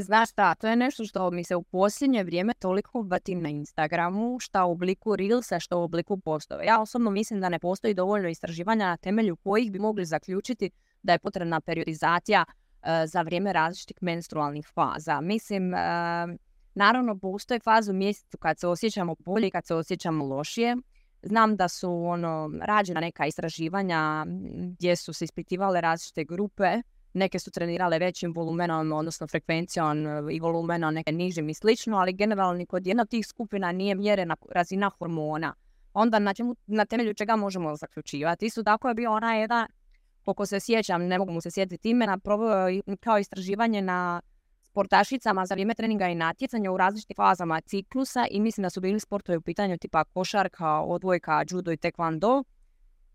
Znaš šta, to je nešto što mi se u posljednje vrijeme toliko vrtim na Instagramu, šta u obliku Reelsa, što u obliku postova. Ja osobno mislim da ne postoji dovoljno istraživanja na temelju kojih bi mogli zaključiti da je potrebna periodizacija za vrijeme različitih menstrualnih faza. Mislim, naravno postoje faze u mjesecu kad se osjećamo bolje i kad se osjećamo lošije. Znam da su rađena neka istraživanja gdje su se ispitivale različite grupe. Neke su trenirale većim volumenom, odnosno frekvencijom i volumenom, neke nižim i slično, ali generalno kod jedna od tih skupina nije mjerena razina hormona. Onda na temelju čega možemo zaključivati. Isto tako je bio ona jedna koliko se sjećam, ne mogu mu se sjetiti imena, proveo je kao istraživanje na sportašicama za vrijeme treninga i natjecanja u različitim fazama ciklusa i mislim da su bili sportovi u pitanju tipa košarka, odbojka, judo i taekwondo.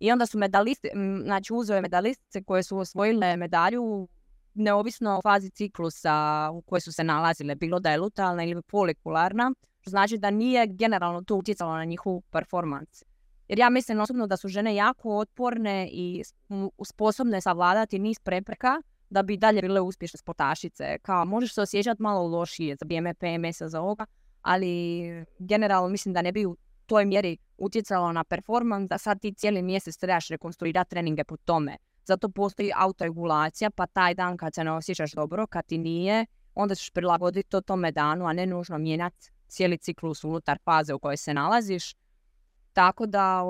I onda su medalisti, znači uzeo je medalistice koje su osvojile medalju neovisno o fazi ciklusa u kojoj su se nalazile, bilo da je lutealna ili folikularna, što znači da nije generalno to utjecalo na njihovu performans. Jer ja mislim osobno da su žene jako otporne i sposobne savladati niz prepreka da bi dalje bile uspješne sportašice. Kao možeš se osjećati malo lošije za vrijeme PMS-a za ovoga, ali generalno mislim da ne bi u toj mjeri utjecalo na performans, da sad ti cijeli mjesec trebaš rekonstruirati treninge po tome. Zato postoji autoregulacija, pa taj dan kad se ne osjećaš dobro, kad ti nije, onda ćeš prilagoditi to tome danu, a ne nužno mijenjati cijeli ciklus unutar faze u kojoj se nalaziš. Tako da,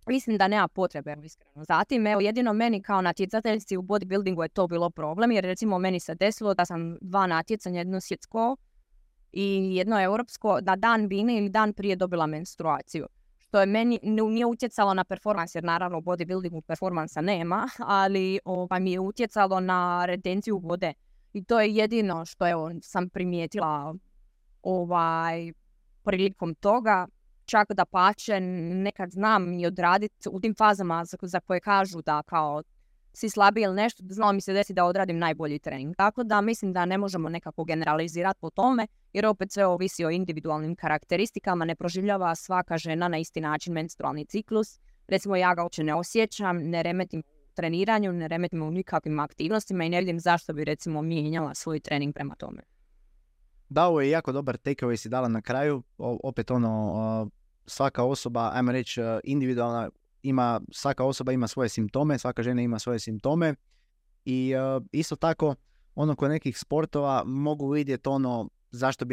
mislim da nema potrebe, iskreno. Zatim, evo, jedino meni kao natjecateljci u bodybuildingu je to bilo problem, jer recimo meni se desilo da sam 2 natjecanja, jedno svjetsko i jedno europsko, da dan bine ili dan prije dobila menstruaciju. Što je meni nije utjecalo na performans, jer naravno u bodybuildingu performansa nema, ali mi je utjecalo na retenciju vode. I to je jedino što sam primijetila prilikom toga. Čak da pače, nekad znam i odraditi u tim fazama za koje kažu da kao si slabiji ili nešto, znalo mi se desi da odradim najbolji trening. Tako da mislim da ne možemo nekako generalizirati po tome, jer opet sve ovisi o individualnim karakteristikama, ne proživljava svaka žena na isti način menstrualni ciklus. Recimo ja ga uopće ne osjećam, ne remetim u treniranju, ne remetim u nikakvim aktivnostima i ne vidim zašto bi recimo mijenjala svoj trening prema tome. Da, ovo je jako dobar takeaway si dala na kraju. Opet svaka osoba, ajmo reći individualna, svaka osoba ima svoje simptome, svaka žena ima svoje simptome i isto tako kod nekih sportova mogu vidjeti zašto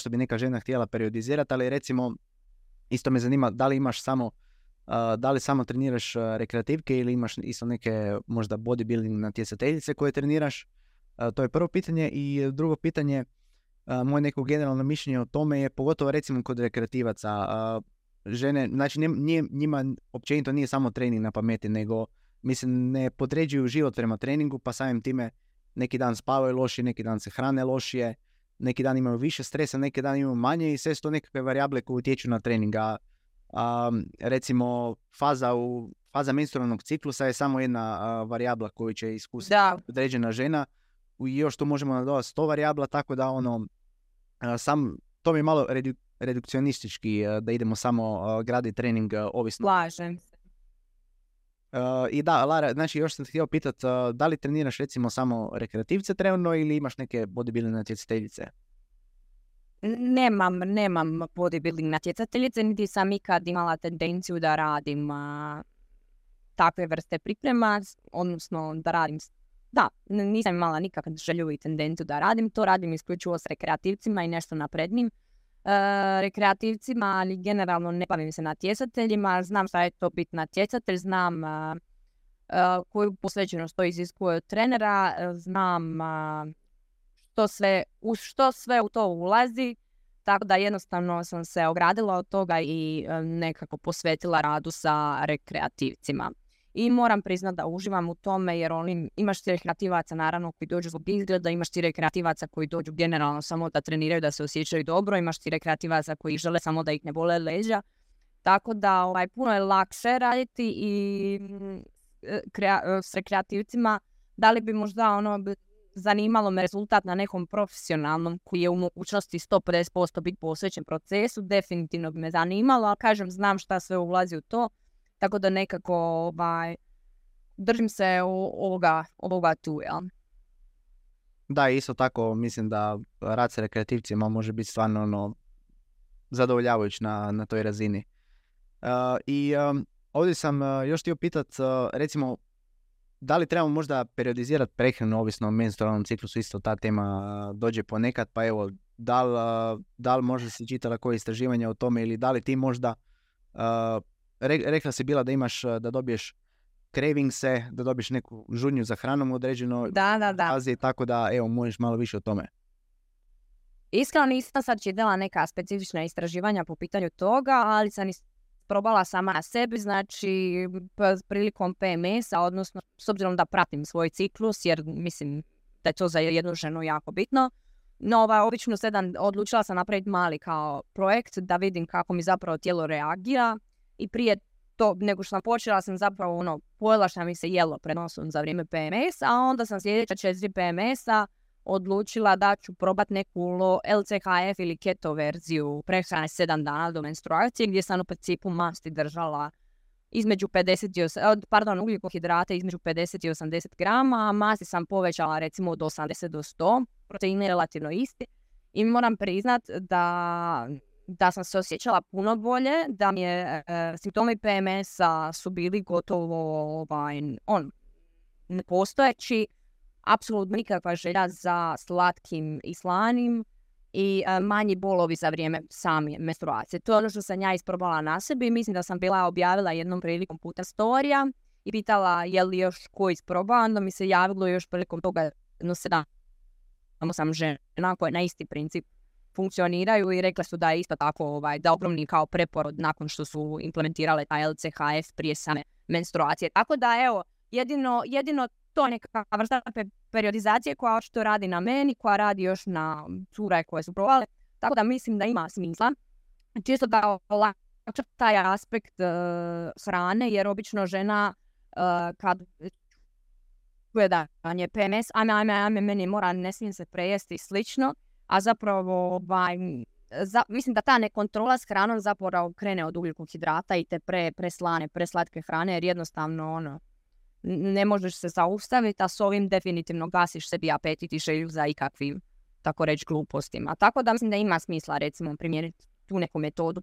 bi neka žena htjela periodizirati, ali recimo isto me zanima da li samo treniraš rekreativke ili imaš isto neke možda bodybuilding natjecateljice koje treniraš. To je prvo pitanje i drugo pitanje, moje neko generalno mišljenje o tome je pogotovo recimo kod rekreativaca. Žene, znači njima općenito nije samo trening na pameti, nego mislim ne podređuju život prema treningu, pa samim time neki dan spavaju lošije, neki dan se hrane lošije, neki dan imaju više stresa, neki dan imaju manje i sve su to nekakve varijable koje utječu na trening. Recimo faza menstrualnog ciklusa je samo jedna varijabla koju će iskusiti određena žena i još to možemo nadodati 100 varijabla, tako da to mi je malo redukcionistički da idemo samo graditi trening ovisno. Slažem se. I da, Lara, znači još sam te htio pitati, da li treniraš recimo samo rekreativce trenutno ili imaš neke bodybuilding natjecateljice? Nemam bodybuilding natjecateljice, niti sam ikad imala tendenciju da radim takve vrste priprema, odnosno da radim. Da, nisam imala nikakvu želju i tendenciju da radim, to radim isključivo s rekreativcima i nešto naprednim rekreativcima, ali generalno ne bavim se natjecateljima, znam šta je to biti natjecatelj, znam koju posvećenost to iziskuje od trenera, znam što sve u to ulazi, tako da jednostavno sam se ogradila od toga i nekako posvetila radu sa rekreativcima. I moram priznati da uživam u tome jer imaš ti rekreativaca naravno koji dođu zbog izgleda, imaš ti rekreativaca koji dođu generalno samo da treniraju, da se osjećaju dobro, imaš ti rekreativaca koji žele samo da ih ne bole leđa. Tako da puno je lakše raditi i s rekreativcima. Da li bi možda zanimalo me rezultat na nekom profesionalnom koji je u mogućnosti 150% biti posvećen procesu, definitivno bi me zanimalo, ali kažem, znam šta sve ulazi u to. Tako da nekako držim se ovoga tu, jel? Da, isto tako mislim da rad sa rekreativcima može biti stvarno zadovoljavajući na toj razini. Ovdje sam još htio pitati, recimo, da li trebamo možda periodizirati prehranu ovisno o menstrualnom ciklusu, isto ta tema dođe ponekad, pa evo, da li možda si čitala koje istraživanja o tome ili da li ti možda rekla si bila da imaš, da dobiješ cravingse, da dobiješ neku žudnju za hranom određeno. Da. Fazi, tako da, evo, možeš malo više o tome. Iskreno nisam sad čitala neka specifična istraživanja po pitanju toga, ali sam isprobala sama na sebi, znači prilikom PMS-a, odnosno s obzirom da pratim svoj ciklus, jer mislim da je to za jednu ženu jako bitno. No, obično odlučila sam napraviti mali kao projekt da vidim kako mi zapravo tijelo reagira i prije to, nego što sam počela, sam zapravo pojela što mi se jelo pred nosom za vrijeme PMS, a onda sam sljedeća 4 PMS-a odlučila da ću probati neku LCHF ili keto verziju prehrane 7 dana do menstruacije, gdje sam u principu masti držala između 50 ugljikohidrata između 50 i 80 grama, a masti sam povećala recimo od 80 do 100, proteine relativno isti. I moram priznat da sam se osjećala puno bolje, da mi je simptomi PMS-a su bili gotovo nepostojeći, apsolutno nikakva želja za slatkim i slanim i manji bolovi za vrijeme same menstruacije. To je ono što sam ja isprobala na sebi. Mislim da sam bila objavila jednom prilikom puta storija i pitala je li još ko isprobao, onda mi se javilo još prilikom toga 7 žena koje na isti princip funkcioniraju i rekla su da je isto tako da ogromni kao preporod nakon što su implementirale taj LCHF prije same menstruacije. Tako da evo, jedino to je neka vrsta periodizacije koja očito radi na meni, koja radi još na cure koje su probale. Tako da mislim da ima smisla. Čisto da olakša taj aspekt hrane, jer obično žena kad čuje da je PMS, ajme, meni mora, ne smijem se prejesti i slično, a zapravo mislim da ta nekontrola s hranom zapravo krene od ugljikohidrata i te preslane, preslatke hrane, jer jednostavno ne možeš se zaustaviti, a s ovim definitivno gasiš sebi apetit i želju za ikakvim, tako reći, glupostima. Tako da mislim da ima smisla recimo primijeniti tu neku metodu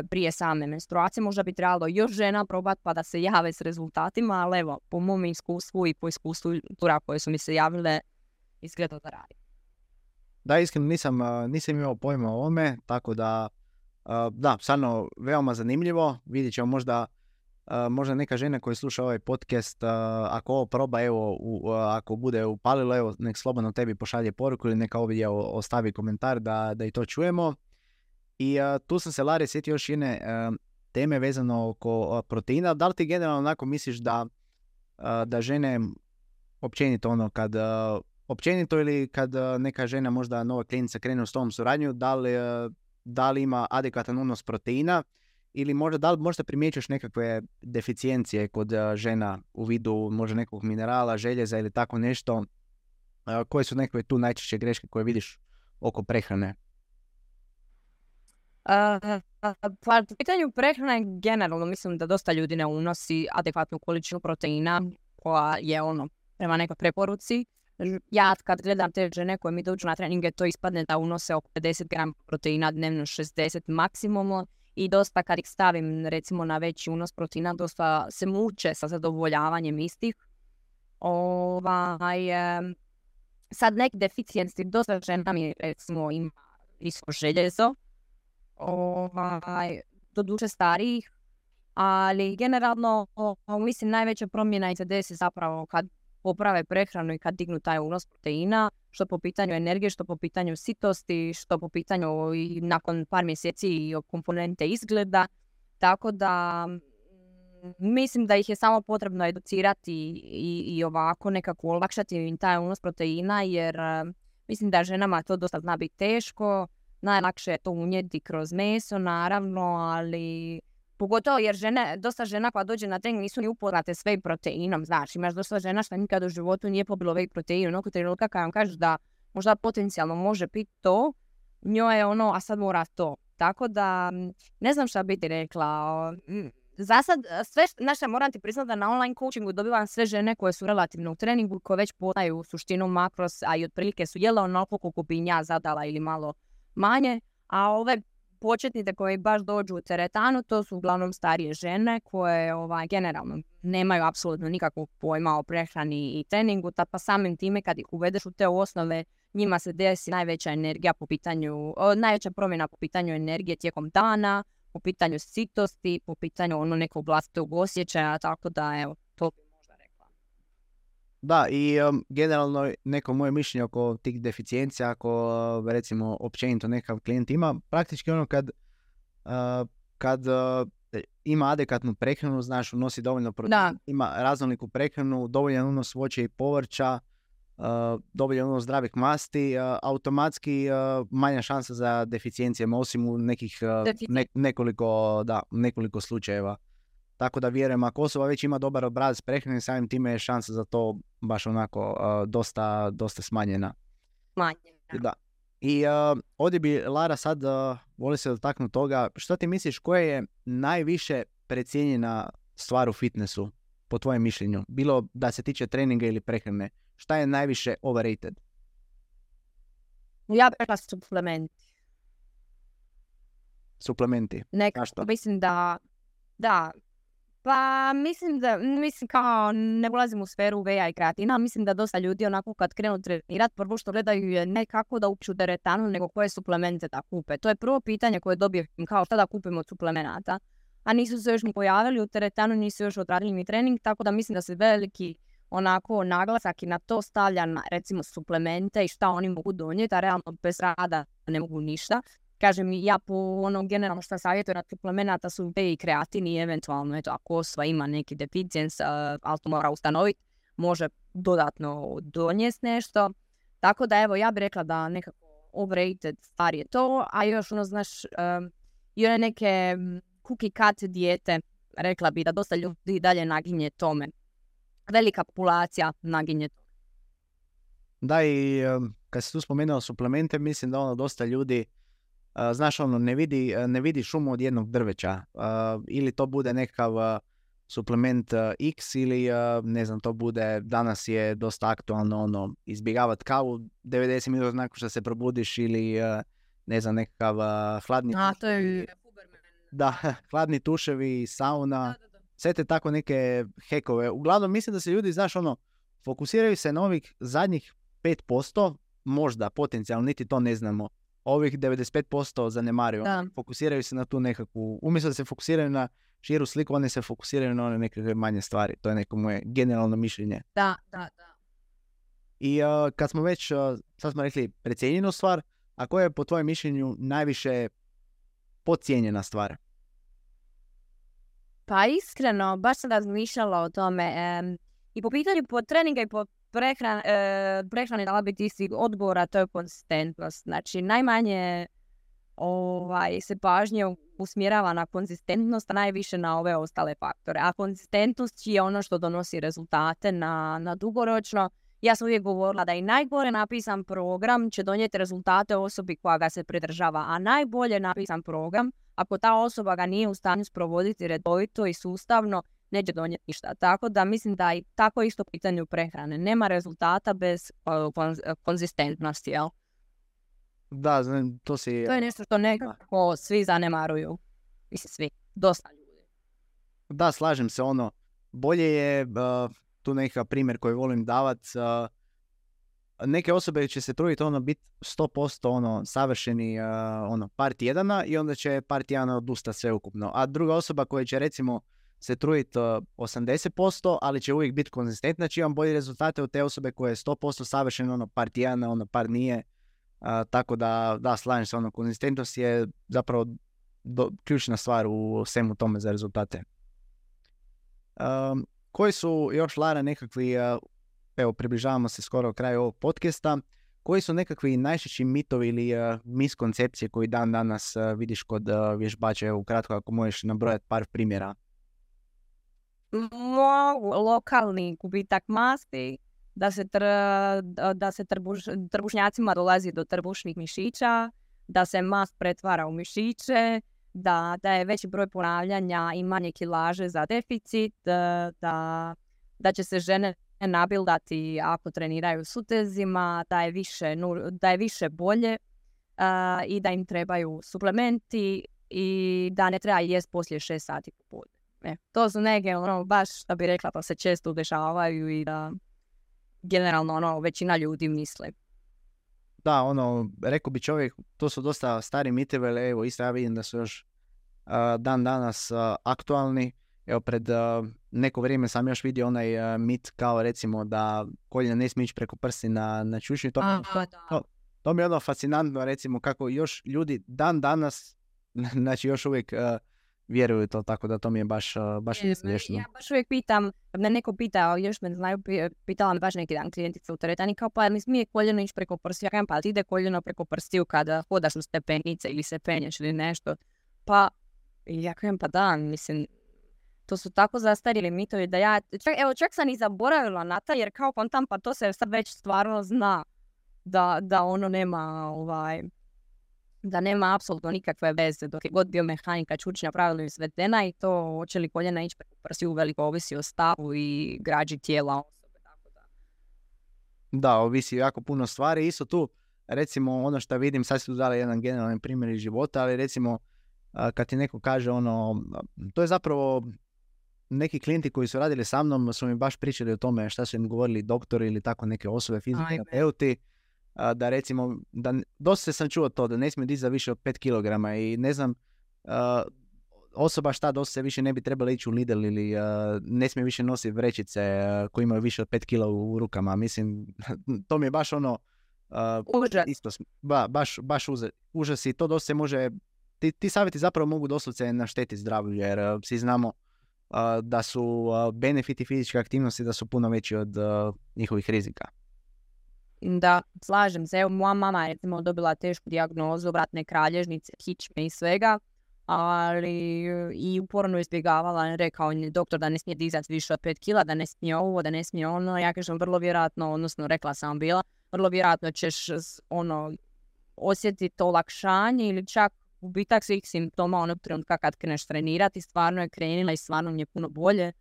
prije same menstruacije. Možda bi trebalo još žena probati pa da se jave s rezultatima, ali evo, po mom iskustvu i po iskustvu tura koje su mi se javile, izgleda da radi. Da, iskreno nisam imao pojma o ovome, tako da stvarno veoma zanimljivo. Vidjet ćemo možda neka žena koja sluša ovaj podcast, ako ovo proba, ako bude upalilo, evo, nek slobodno tebi pošalje poruku ili neka ovdje ostavi komentar da i to čujemo. I tu sam se, Lare, sjetio još jedne teme vezano oko proteina. Da li ti generalno onako misliš da žene općenito općenito ili kad neka žena, možda nova klijentica, krene s tom suradnju, da li ima adekvatan unos proteina ili da li možda primjećuješ nekakve deficijencije kod žena u vidu možda nekog minerala, željeza ili tako nešto? Koje su nekakve tu najčešće greške koje vidiš oko prehrane? Pa u pitanju prehrane generalno mislim da dosta ljudi ne unosi adekvatnu količinu proteina koja je prema nekoj preporuci. Ja kad gledam te žene koje mi dođu na treninge, to ispadne da unose oko 50 grama proteina dnevno, 60 maksimum, i dosta kad ih stavim recimo na veći unos proteina, dosta se muče sa zadovoljavanjem istih. Sad neki deficijenci, dosta žena mi recimo ima visoko željezo, doduše starijih, ali generalno mislim najveća promjena se desi zapravo kad poprave prehranu i kad dignu taj unos proteina, što po pitanju energije, što po pitanju sitosti, što po pitanju i nakon par mjeseci i komponente izgleda. Tako da mislim da ih je samo potrebno educirati i ovako nekako olakšati im taj unos proteina, jer mislim da ženama to dosta zna biti teško. Najlakše je to unijeti kroz meso, naravno, ali pogotovo jer dosta žena koja dođe na trening nisu ni upoznate s whey proteinom, znaš, imaš dosta žena što nikad u životu nije pobilo whey protein, oko trenutka kad vam kažeš da možda potencijalno može piti to, njoj je a sad mora to. Tako da, ne znam šta bi ti rekla. Za sad, moram ti priznati da na online coachingu dobivam sve žene koje su relativno u treningu, koje već poznaju suštinu makros, a i otprilike su jele onoliko koliko bi ja zadala ili malo manje, a ove početnice koje baš dođu u teretanu, to su uglavnom starije žene koje generalno nemaju apsolutno nikakvog pojma o prehrani i treningu, pa samim time kad ih uvedeš u te osnove, njima se desi najveća promjena po pitanju energije tijekom dana, po pitanju sitosti, po pitanju nekog vlastitog osjećaja, tako da evo, to bi možda rekla. Da, i generalno neko moje mišljenje oko tih deficijencija, ako recimo općenito nekav klijent ima, praktički kad kad ima adekvatnu prehranu, znaš, unosi dovoljno proteina, ima raznoliku prehranu, dovoljan unos voća i povrća, dovoljan unos zdravih masti, automatski manja šansa za deficijencijama, osim u nekih nekoliko slučajeva. Tako da vjerujem, ako osoba već ima dobar obrazac prehrane, samim time je šansa za to baš onako dosta smanjena. Da. I ovdje bi, Lara, sad voli se dotaknuti toga, što ti misliš, koja je najviše precijenjena stvar u fitnessu, po tvojem mišljenju? Bilo da se tiče treninga ili prehrane. Šta je najviše overrated? Ja bih rekla suplementi. Suplementi? Nekako, mislim da, pa mislim kao ne ulazim u sferu veja i kreatina, mislim da dosta ljudi onako kad krenu trenirati, prvo što gledaju je ne kako da upišu teretanu, nego koje suplemente da kupe. To je prvo pitanje koje dobijem, kao šta da kupimo od suplemenata. A nisu se još ni pojavili u teretanu, nisu još odradili ni trening, tako da mislim da se veliki onako naglasak i na to stavlja na recimo suplemente i šta oni mogu donijeti, a realno bez rada ne mogu ništa. Kažem, ja po onom generalno što savjetujem na suplemenata su i kreatin i eventualno, eto, ako osoba ima neki deficijens, ali to mora ustanoviti, može dodatno donijeti nešto. Tako da evo, ja bih rekla da nekako overrated stvar je to, a još ono, znaš, i one neke cookie cut dijete, rekla bi da dosta ljudi dalje naginje tome. Velika populacija naginje tome. Da, i kad si tu spomenuo suplemente, mislim da dosta ljudi znaš, ne vidi šumu od jednog drveća. Ili to bude nekakav suplement X ili, ne znam, to bude, danas je dosta aktualno, izbjegavati kavu 90 minuta nakon što se probudiš ili, ne znam, nekakav hladni... to je Da, hladni tuševi, sauna, sve te tako neke hekove. Uglavnom, mislim da se ljudi, znaš, fokusiraju se na ovih zadnjih 5%, možda, potencijalno, niti to ne znamo. Ovih 95% zanemaruju. Fokusiraju se na tu nekakvu, umjesto da se fokusiraju na širu sliku, oni se fokusiraju na one nekakve manje stvari. To je neko moje generalno mišljenje. Da. I kad smo već, sad smo rekli precijenjenu stvar, a koja je po tvojem mišljenju najviše podcijenjena stvar? Pa iskreno, baš sam razmišljala o tome. I po pitanju po treninga i po prehrane dala biti isti odgovor, a to je konzistentnost. Znači, najmanje se pažnje usmjerava na konzistentnost, a najviše na ove ostale faktore. A konzistentnost je ono što donosi rezultate na dugoročno. Ja sam uvijek govorila da i najgore napisan program će donijeti rezultate osobi koja ga se pridržava, a najbolje napisan program, ako ta osoba ga nije u stanju sprovoditi redovito i sustavno, neće donijeti ništa. Tako da mislim da i tako isto pitanju prehrane. Nema rezultata bez konzistentnosti, jel? Da, to je nešto što nekako svi zanemaruju. Mislim, svi. Dosta ljudi. Da, slažem se, bolje je, tu nekakav primjer koji volim davat, neke osobe će se truditi biti 100% savršeni par tjedana i onda će par tjedana odustati sveukupno. A druga osoba koja će recimo se truditi 80%, ali će uvijek biti konzistentna, će imati bolje rezultate od te osobe koja je 100% savršena, par tjedana, par nije. Tako da slažem se, konzistentnost je zapravo ključna stvar u svemu tome za rezultate. Koji su još, Lara, nekakvi, evo približavamo se skoro kraju ovog podcasta, koji su nekakvi najčešći mitovi ili miskoncepcije koji dan danas vidiš kod vježbača? Evo ukratko, ako možeš nabrojati par primjera. Lokalni gubitak masti, da se trbušnjacima dolazi do trbušnih mišića, da se mast pretvara u mišiće, da je veći broj ponavljanja i manje kilaže za deficit, da će se žene nabildati ako treniraju s utezima, da je više bolje i da im trebaju suplementi i da ne treba jest poslije 6 sati popodne. To su neke, baš da bi rekla, pa se često dešavaju i da generalno većina ljudi misle. Da, rekao bi čovjek, to su dosta stari mitovi, ali evo isto ja vidim da su još dan danas aktualni. Evo pred neko vrijeme sam još vidio onaj mit kao recimo da koljena ne smije ići preko prsti na čušnju. To mi je fascinantno, recimo kako još ljudi dan danas, znači još uvijek vjeruju to, tako da to mi je baš smiješno. Ja baš uvijek pitam, kad me neko pita, još me znaju, pitala me baš neki dan klijentica u teretani, kao pa mi smije koljeno ići preko prstiju, ja kažem pa ti ide koljeno preko prstiju kada hodaš u stepenice ili se penješ ili nešto, pa ja kažem pa da, mislim, to su tako zastarjeli mitovi da ja, čak sam i zaboravila na to, jer kao kontam, pa to se sad već stvarno zna da ono nema da nema apsolutno nikakve veze dok je god biomehanika čučnja pravilno izvedena i to hoće li koljena ići preko prstiju veliko ovisi o stavu i građi tijela osobe. Tako da. Da, ovisi jako puno stvari. Isto tu, recimo ono što vidim, sad su dali jedan generalni primjer iz života, ali recimo kad ti neko kaže to je zapravo neki klijenti koji su radili sa mnom su mi baš pričali o tome šta su im govorili doktori ili tako neke osobe, fizioterapeuti, da recimo, dosta sam čuo to da ne smije dizati više od 5 kg i ne znam, osoba šta dosta se više ne bi trebala ići u Lidl ili ne smije više nositi vrećice koje imaju više od 5 kg u rukama. Mislim, to mi je baš užas. Isto, baš užas i to dosta se može, ti savjeti zapravo mogu doslovce naštetiti zdravlju jer svi znamo da su benefiti fizičke aktivnosti da su puno veći od njihovih rizika. Da, slažem se. Evo, moja mama je recimo dobila tešku dijagnozu vratne kralježnice, kičme i svega, ali i uporno izbjegavala, rekao je doktor da ne smije dizati više od 5 kila, da ne smije ovo, da ne smije ono. Ja kažem vrlo vjerojatno, odnosno rekla sam bila, vrlo vjerojatno ćeš osjetiti olakšanje ili čak gubitak svih simptoma onog trenutka kad kreneš trenirati. Stvarno je krenila i stvarno mi je puno bolje.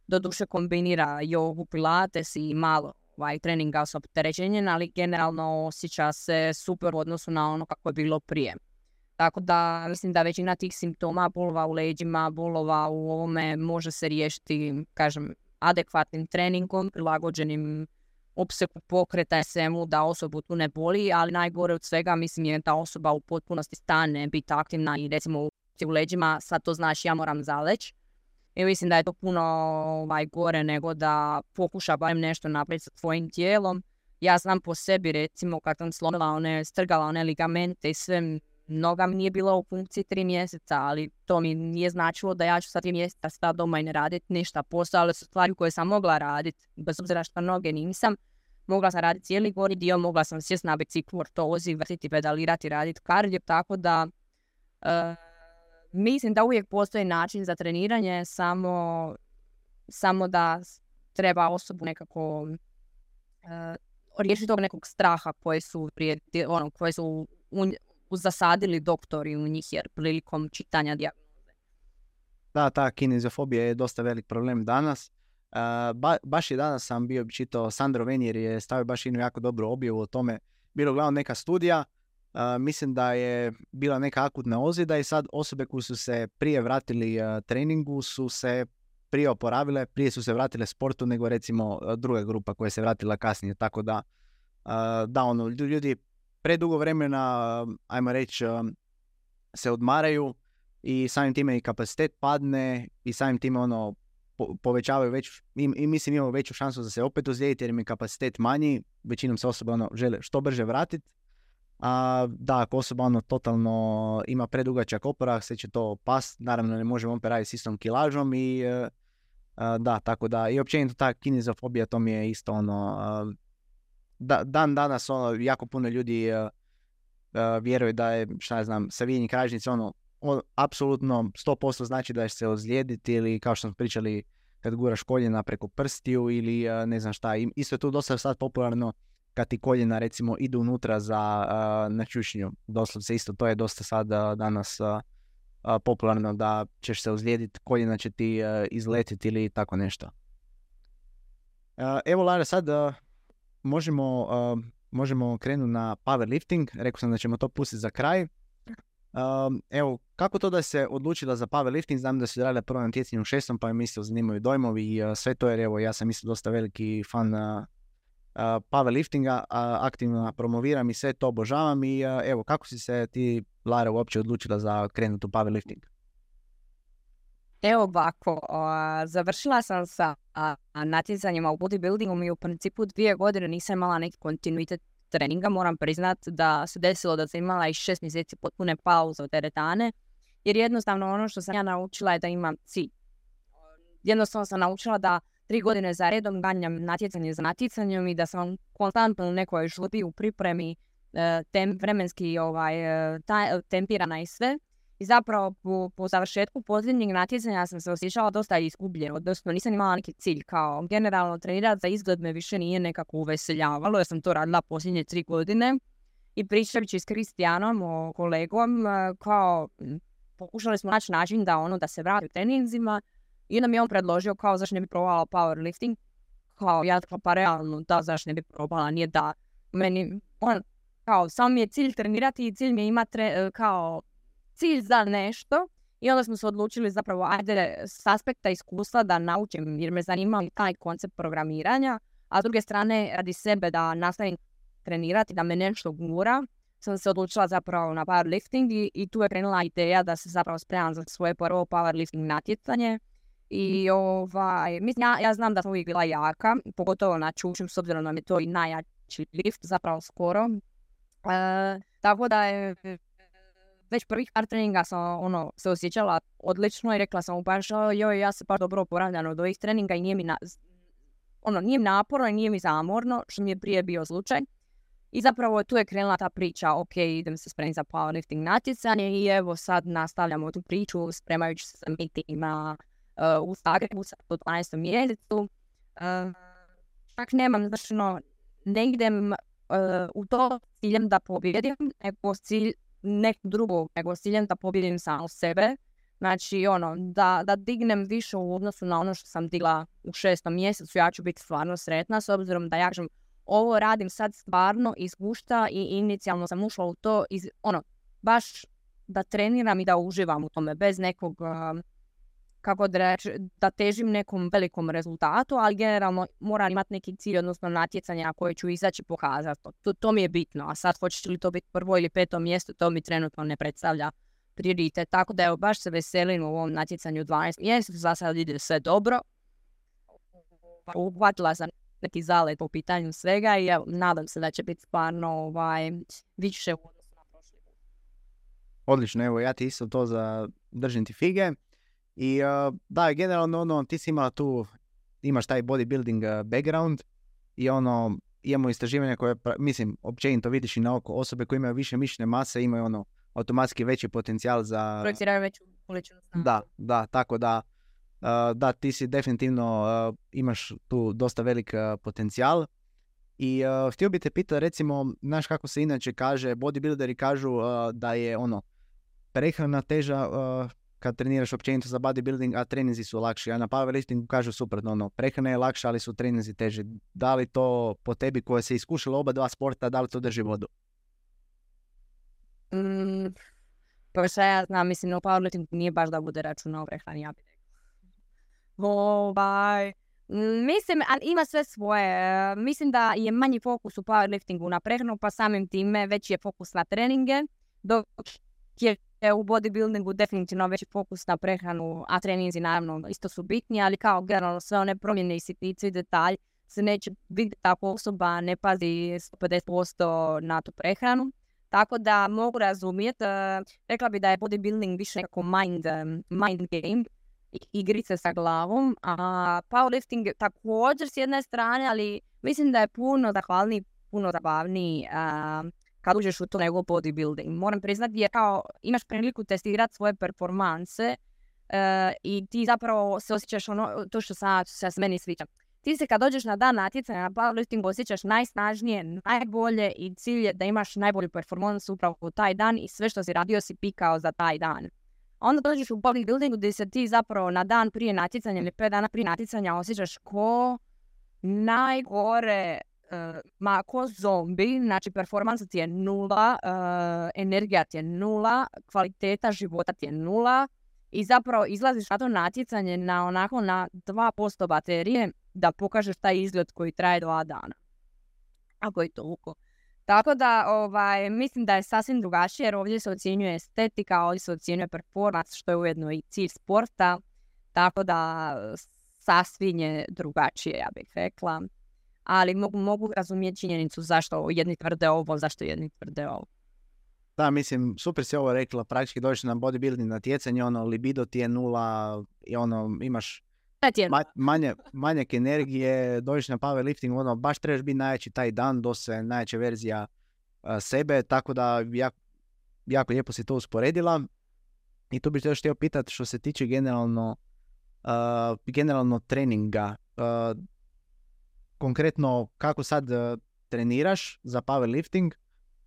Doduše kombinira jogu, pilates i malo treninga s opterećenjem, ali generalno osjeća se super u odnosu na ono kako je bilo prije. Tako da mislim da većina tih simptoma, bolova u leđima, bolova u ovome može se riješiti, kažem, adekvatnim treningom, prilagođenim opsegu pokreta svemu da osobu tu ne boli, ali najgore od svega mislim je da osoba u potpunosti stane, biti aktivna i recimo u leđima, sad to znači ja moram zaleći. I mislim da je to puno gore nego da pokuša barem nešto napraviti sa tvojim tijelom. Ja znam po sebi recimo kad sam strgala one ligamente i sve, noga mi nije bila u funkciji 3 mjeseca, ali to mi nije značilo da ja ću sad 3 mjeseca stati doma i ne raditi ništa. Postojale su stvari koje sam mogla raditi, bez obzira što noge nisam. Mogla sam raditi cijeli gornji dio, mogla sam sjesti na biciklu, ortozi, vrtiti, pedalirati, raditi kardio, tako da mislim da uvijek postoji način za treniranje, samo da treba osobu nekako riješiti tog nekog straha koje su zasadili doktori u njih jer prilikom čitanja dijagnoze. Da, ta kineziofobija je dosta velik problem danas. Baš i danas sam bio čitao, Sandro Venier je stavio baš jednu jako dobru objavu o tome. Bilo glavno neka studija, mislim da je bila neka akutna ozljeda i sad osobe koje su se prije vratili treningu su se prije oporavile, prije su se vratile sportu nego recimo druga grupa koja se vratila kasnije. Tako da, ljudi predugo vremena, ajmo reći, se odmaraju i samim time i kapacitet padne i samim time povećavaju mislim imamo veću šansu da se opet ozlijediti jer im je kapacitet manji, većinom se osoba žele što brže vratiti. Da, ako osoba totalno ima predugačak oporavak, sve će to past, naravno ne možemo opet raditi s istom kilažom i da, tako da i općenito ta kineziofobija to mi je isto dan danas jako puno ljudi vjeruje da je, šta ja znam, savijanje kralježnice apsolutno 100% znači da će se ozlijediti ili kao što smo pričali kad guraš koljena preko prstiju ili ne znam šta. Isto je tu dosta sad popularno kad ti koljena recimo idu unutra na čučnju. Doslovce isto to je dosta sad danas popularno da ćeš se ozlijediti, koljena će ti izletiti ili tako nešto. Evo Lara, sad možemo krenuti na powerlifting. Rekao sam da ćemo to pustiti za kraj. Evo, kako to da se odlučila za powerlifting? Znam da si radila prvo na natjecanju u 6. pa mi isto zanimaju dojmovi i sve to, jer evo ja sam isto dosta veliki fan powerliftinga, aktivno promoviram i sve to obožavam i evo, kako si se ti, Lara, uopće odlučila za krenuti u powerlifting? Evo ovako, završila sam sa natjecanjima u bodybuildingu i u principu 2 godine nisam imala neki kontinuitet treninga. Moram priznat da se desilo da sam imala i 6 mjeseci potpune pauze od teretane jer jednostavno ono što sam ja naučila je da imam cilj. Jednostavno sam naučila da 3 godine za redom ganjam natjecanje za natjecanjem i da sam konstantno u nekoj žurbi u pripremi, vremenski tempirana i sve. I zapravo po završetku posljednjeg natjecanja sam se osjećala dosta izgubljeno, odnosno nisam imala neki cilj, kao generalno trenirati za izgled me više nije nekako uveseljavalo, jer sam to radila posljednje 3 godine. I pričajući s Kristijanom, kolegom, kao pokušali smo naći način da se vrati u treninzima. I onda mi je on predložio kao zašto ne bi probala powerlifting. Kao ja pa realno da zašto ne bi probala, nije da meni kao samo mi je cilj trenirati i cilj mi je imati kao cilj za nešto. I onda smo se odlučili zapravo ajde s aspekta iskustva da naučim jer me zanima taj koncept programiranja, a s druge strane radi sebe da nastavim trenirati, da me nešto gura. Sam se odlučila zapravo na powerlifting i tu je krenula ideja da se zapravo spremam za svoje prvo powerlifting natjecanje. I mislim, ja znam da sam uvijek bila jaka, pogotovo na čučim, s obzirom da mi je to i najjači lift, zapravo skoro. Tako da je već prvih par treninga sam se osjećala odlično i rekla sam baš ja se baš dobro oporavljam od ovih treninga i nije mi nije mi naporno i nije mi zamorno, što mi je prije bio slučaj. I zapravo tu je krenula ta priča, ok, idem se spremiti za powerlifting natjecanje i evo sad nastavljamo tu priču spremajući se za meetingima u Zagrebu u 12. mjesecu. Čak nemam, ne idem u to ciljem da pobjedim, nego s ciljem da pobjedim samo sebe. Znači, da dignem više u odnosu na ono što sam digla u 6. mjesecu, ja ću biti stvarno sretna, s obzirom da ja kažem, ovo radim sad stvarno iz gušta i inicijalno sam ušla u to, baš da treniram i da uživam u tome, bez nekog, kako da reći, da težim nekom velikom rezultatu, ali generalno moram imati neki cilj, odnosno natjecanja koje ću izaći pokazati. To mi je bitno, a sad hoće li to biti 1. ili 5. mjesto, to mi trenutno ne predstavlja prioritet. Tako da evo, baš se veselim u ovom natjecanju 12 mjeseca, za sad ide sve dobro. Uhvatila sam neki zalet po pitanju svega i nadam se da će biti stvarno više u odnosu na prošli put. Odlično, evo ja ti isto to držim ti fige. I da, generalno ti si imala tu, imaš taj bodybuilding background i imamo istraživanja koje, mislim, općenito vidiš i na oko, osobe koje imaju više mišićne mase imaju automatski veći potencijal za... Projeciraju veću količinu snaga. Da, tako da ti si definitivno imaš tu dosta velik potencijal. I htio bi te pitati, recimo, znaš kako se inače kaže, bodybuilderi kažu da je prehrana teža kad treniraš općenito za bodybuilding, a treninzi su lakši. A na powerliftingu kažu suprotno, prehrana je lakša, ali su treninzi teži. Da li to po tebi koja se iskušala oba dva sporta, da li to drži vodu? Pa što ja znam, mislim, u powerliftingu nije baš da bude računa o prehrani, ja bih rekla. Mislim, ima sve svoje. Mislim da je manji fokus u powerliftingu na prehranu, pa samim time veći je fokus na treninge, dok je u bodybuildingu definitivno veći fokus na prehranu, a treninzi naravno isto su bitni, ali kao generalno sve one promjene i sitnice i detalj se neće vidjeti ako osoba ne pazi 150% na tu prehranu. Tako da mogu razumjeti, rekla bi da je bodybuilding više nekako mind game, igrice sa glavom, a powerlifting također s jedne strane, ali mislim da je puno zahvalniji, puno zabavniji kad uđeš u to nego bodybuilding. Moram priznati jer kao imaš priliku testirati svoje performanse i ti zapravo se osjećaš to što se meni sviđa. Ti se kad dođeš na dan natjecanja na powerliftingu osjećaš najsnažnije, najbolje i cilj je da imaš najbolju performansu upravo u taj dan i sve što si radio si pikao za taj dan. Onda dođeš u bodybuildingu gdje se ti zapravo na dan prije natjecanja ili 5 dana prije natjecanja osjećaš ko najgore, ko zombi, znači performansa ti je 0, energija ti je 0, kvaliteta života ti je 0 i zapravo izlaziš na to natjecanje na 2% baterije da pokažeš taj izgled koji traje 2 dana. Ako je to uko. Tako da mislim da je sasvim drugačije jer ovdje se ocjenjuje estetika, ovdje se ocjenjuje performance, što je ujedno i cilj sporta. Tako da sasvim je drugačije, ja bih rekla. Ali mogu razumjeti činjenicu zašto jedni tvrde ovo, zašto jedni tvrde ovo. Da, mislim, super si ovo rekla, praktički dođeš na bodybuilding natjecanje, ono, libido ti je nula, i ono, imaš manjak energije, dođeš na powerlifting, ono, baš trebaš biti najjači taj dan, doslovno najjača verzija sebe, tako da jako lijepo si to usporedila. I tu bih još htio pitati što se tiče generalno treninga. Konkretno, kako sad treniraš za powerlifting,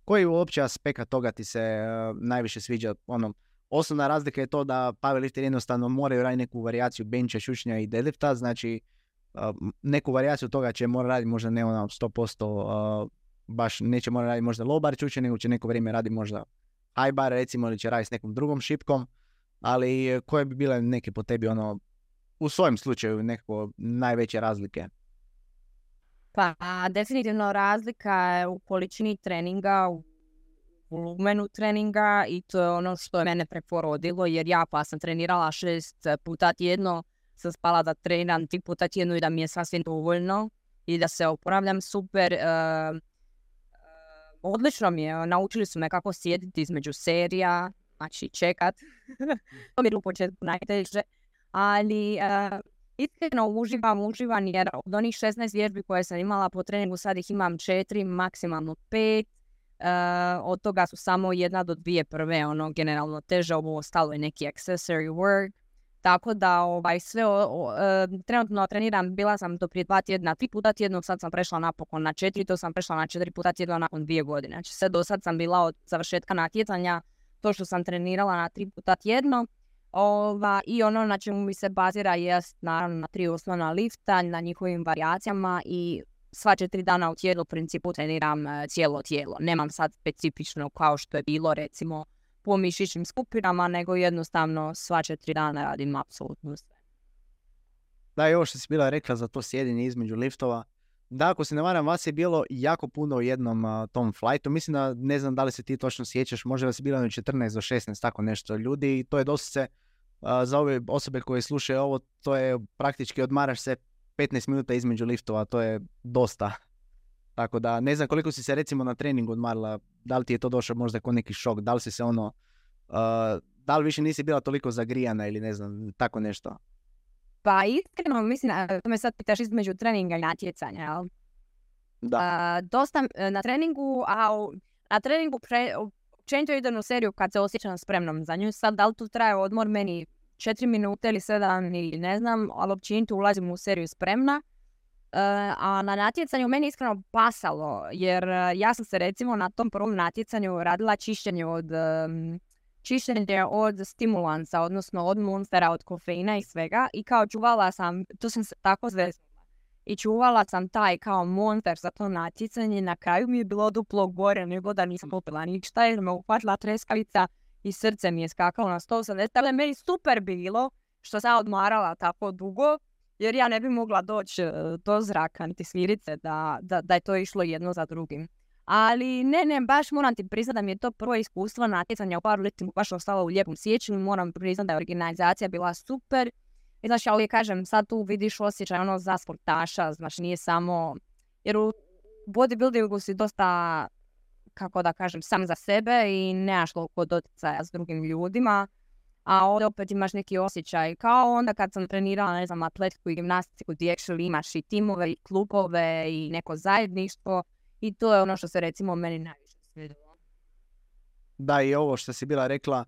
koji uopće aspekt toga ti se najviše sviđa? Ono, osnovna razlika je to da powerlifter jednostavno moraju raditi neku varijaciju bencha, šušnja i deadlifta, znači neku varijaciju toga će mora raditi možda ne ono 100%, baš neće mora raditi možda low bar čučnje, nego će neko vrijeme raditi možda high bar recimo, ili će raditi s nekom drugom šipkom, ali koje bi bile neke po tebi ono, u svojem slučaju nekako najveće razlike? Pa definitivno razlika je u količini treninga, u volumenu treninga, i to je ono što je mene preporodilo, jer ja pa sam trenirala 6 puta tjedno, sam spala da treniram 3 puta tjedno i da mi je sasvim dovoljno i da se oporavljam super. Odlično mi je, naučili su me kako sjediti između serija, znači čekat. To mi je u početku najteže, ali iskreno uživam jer od onih 16 vježbi koje sam imala po treningu sad ih imam 4, maksimalno 5. Od toga su samo 1 do 2 prve, ono generalno teže, ovo ostalo je neki accessory work. Tako da sve trenutno treniram, bila sam to prije 2 tjedna 3 puta tjedno, sad sam prešla napokon na 4, to sam prešla na 4 puta tjedno nakon 2 godine. Znači sve do sad sam bila od završetka natjecanja, to što sam trenirala na 3 puta tjedno. I ono na čemu mi se bazira jest naravno na 3 osnovna lifta, na njihovim varijacijama, i sva 4 dana u tjednu u principu treniram cijelo tijelo. Nemam sad specifično kao što je bilo recimo po mišićnim skupinama, nego jednostavno sva 4 dana radim apsolutno sve. Da, i ovo što si bila rekla za to sjedinje između liftova, da, ako se ne varam, vas je bilo jako puno u jednom tom flightu. Mislim da, ne znam da li se ti točno sjećaš, možda vas je bilo 14 do 16, tako nešto ljudi, i to je dosta se, za ove osobe koje slušaju ovo, to je praktički odmaraš se 15 minuta između liftova, to je dosta. Tako da, ne znam koliko si se recimo na treningu odmarila, da li ti je to došlo možda kao neki šok, da li si se ono, da li više nisi bila toliko zagrijana ili ne znam, tako nešto? Pa iskreno mislim, to me sad pitaš između treninga i natjecanja, jel? Da. Dosta na treningu, na treningu općenito idem u seriju kad se osjećam spremnom za nju. Sad, da li tu traje odmor meni 4 minute ili 7 ili ne znam, ali općenito ulazim u seriju spremna. A na natjecanju meni iskreno pasalo, jer ja sam se recimo na tom prvom natjecanju radila čišćenje od stimulansa, odnosno od monstera, od kofeina i svega, i kao čuvala sam, to sam se tako zveznula, i čuvala sam taj kao monster za to natjecanje. Na kraju mi je bilo duplo gore nego da nisam popila ništa, jer me uhvatila treskavica i srce mi je skakalo na 180, ali meni super bilo što sam odmarala tako dugo, jer ja ne bi mogla doći do zraka niti svirice da je to išlo jedno za drugim. Ali ne, baš moram ti priznati da mi je to prvo iskustvo natjecanja u powerliftingu baš ostalo u lijepom sjećanju. Moram priznati da je organizacija bila super. I znači, ja uvijek kažem, sad tu vidiš osjećaj ono za sportaša, znači nije samo, jer u bodybuildingu si dosta, kako da kažem, sam za sebe i nemaš toliko doticaja s drugim ljudima. A ovdje opet imaš neki osjećaj, kao onda kad sam trenirala, ne znam, atletiku i gimnastiku, gdje actually imaš i timove i klubove i neko zajedništvo, i to je ono što se recimo meni najviše svidjelo. Da, i ovo što si bila rekla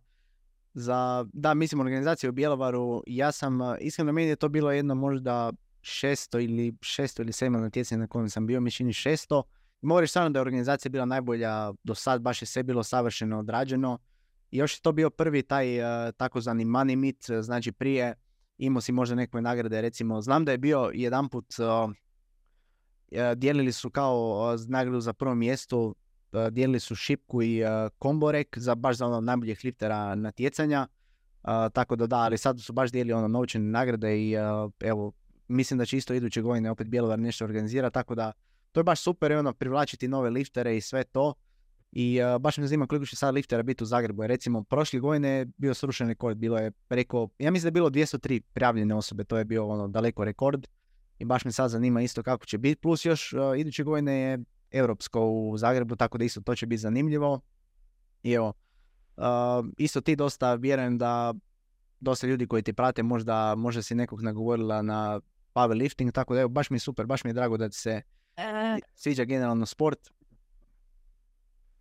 da, mislim, organizacija u Bjelovaru, ja sam, iskreno meni je to bilo jedno možda 600 ili 7 natjecanje na kojem sam bio, mislim 600. Mogu reći stvarno da je organizacija bila najbolja do sad, baš je sve bilo savršeno odrađeno. I još je to bio prvi taj takozvani money meet, znači prije imao si možda neke nagrade, recimo, znam da je bio jedanput, dijelili su kao nagradu za prvo mjesto, dijelili su šipku i komborek baš za ono najboljih liftera natjecanja, tako da, ali sad su baš dijelili ono novčane nagrade i evo, mislim da će isto iduće godine opet Bjelovar nešto organizira, tako da to je baš super i ono privlačiti nove liftere i sve to. I baš me zanima koliko će sad liftera biti u Zagrebu. Recimo, prošle godine je bio srušen rekord, bilo je preko, ja mislim da je bilo 203 prijavljene osobe, to je bio ono daleko rekord. I baš me sad zanima isto kako će biti. Plus još iduće godine je europsko u Zagrebu, tako da isto to će biti zanimljivo. I evo, isto ti dosta vjerujem da dosta ljudi koji ti prate možda si nekog nagovorila na powerlifting, tako da evo, baš mi je super, baš mi je drago da ti se sviđa generalno sport.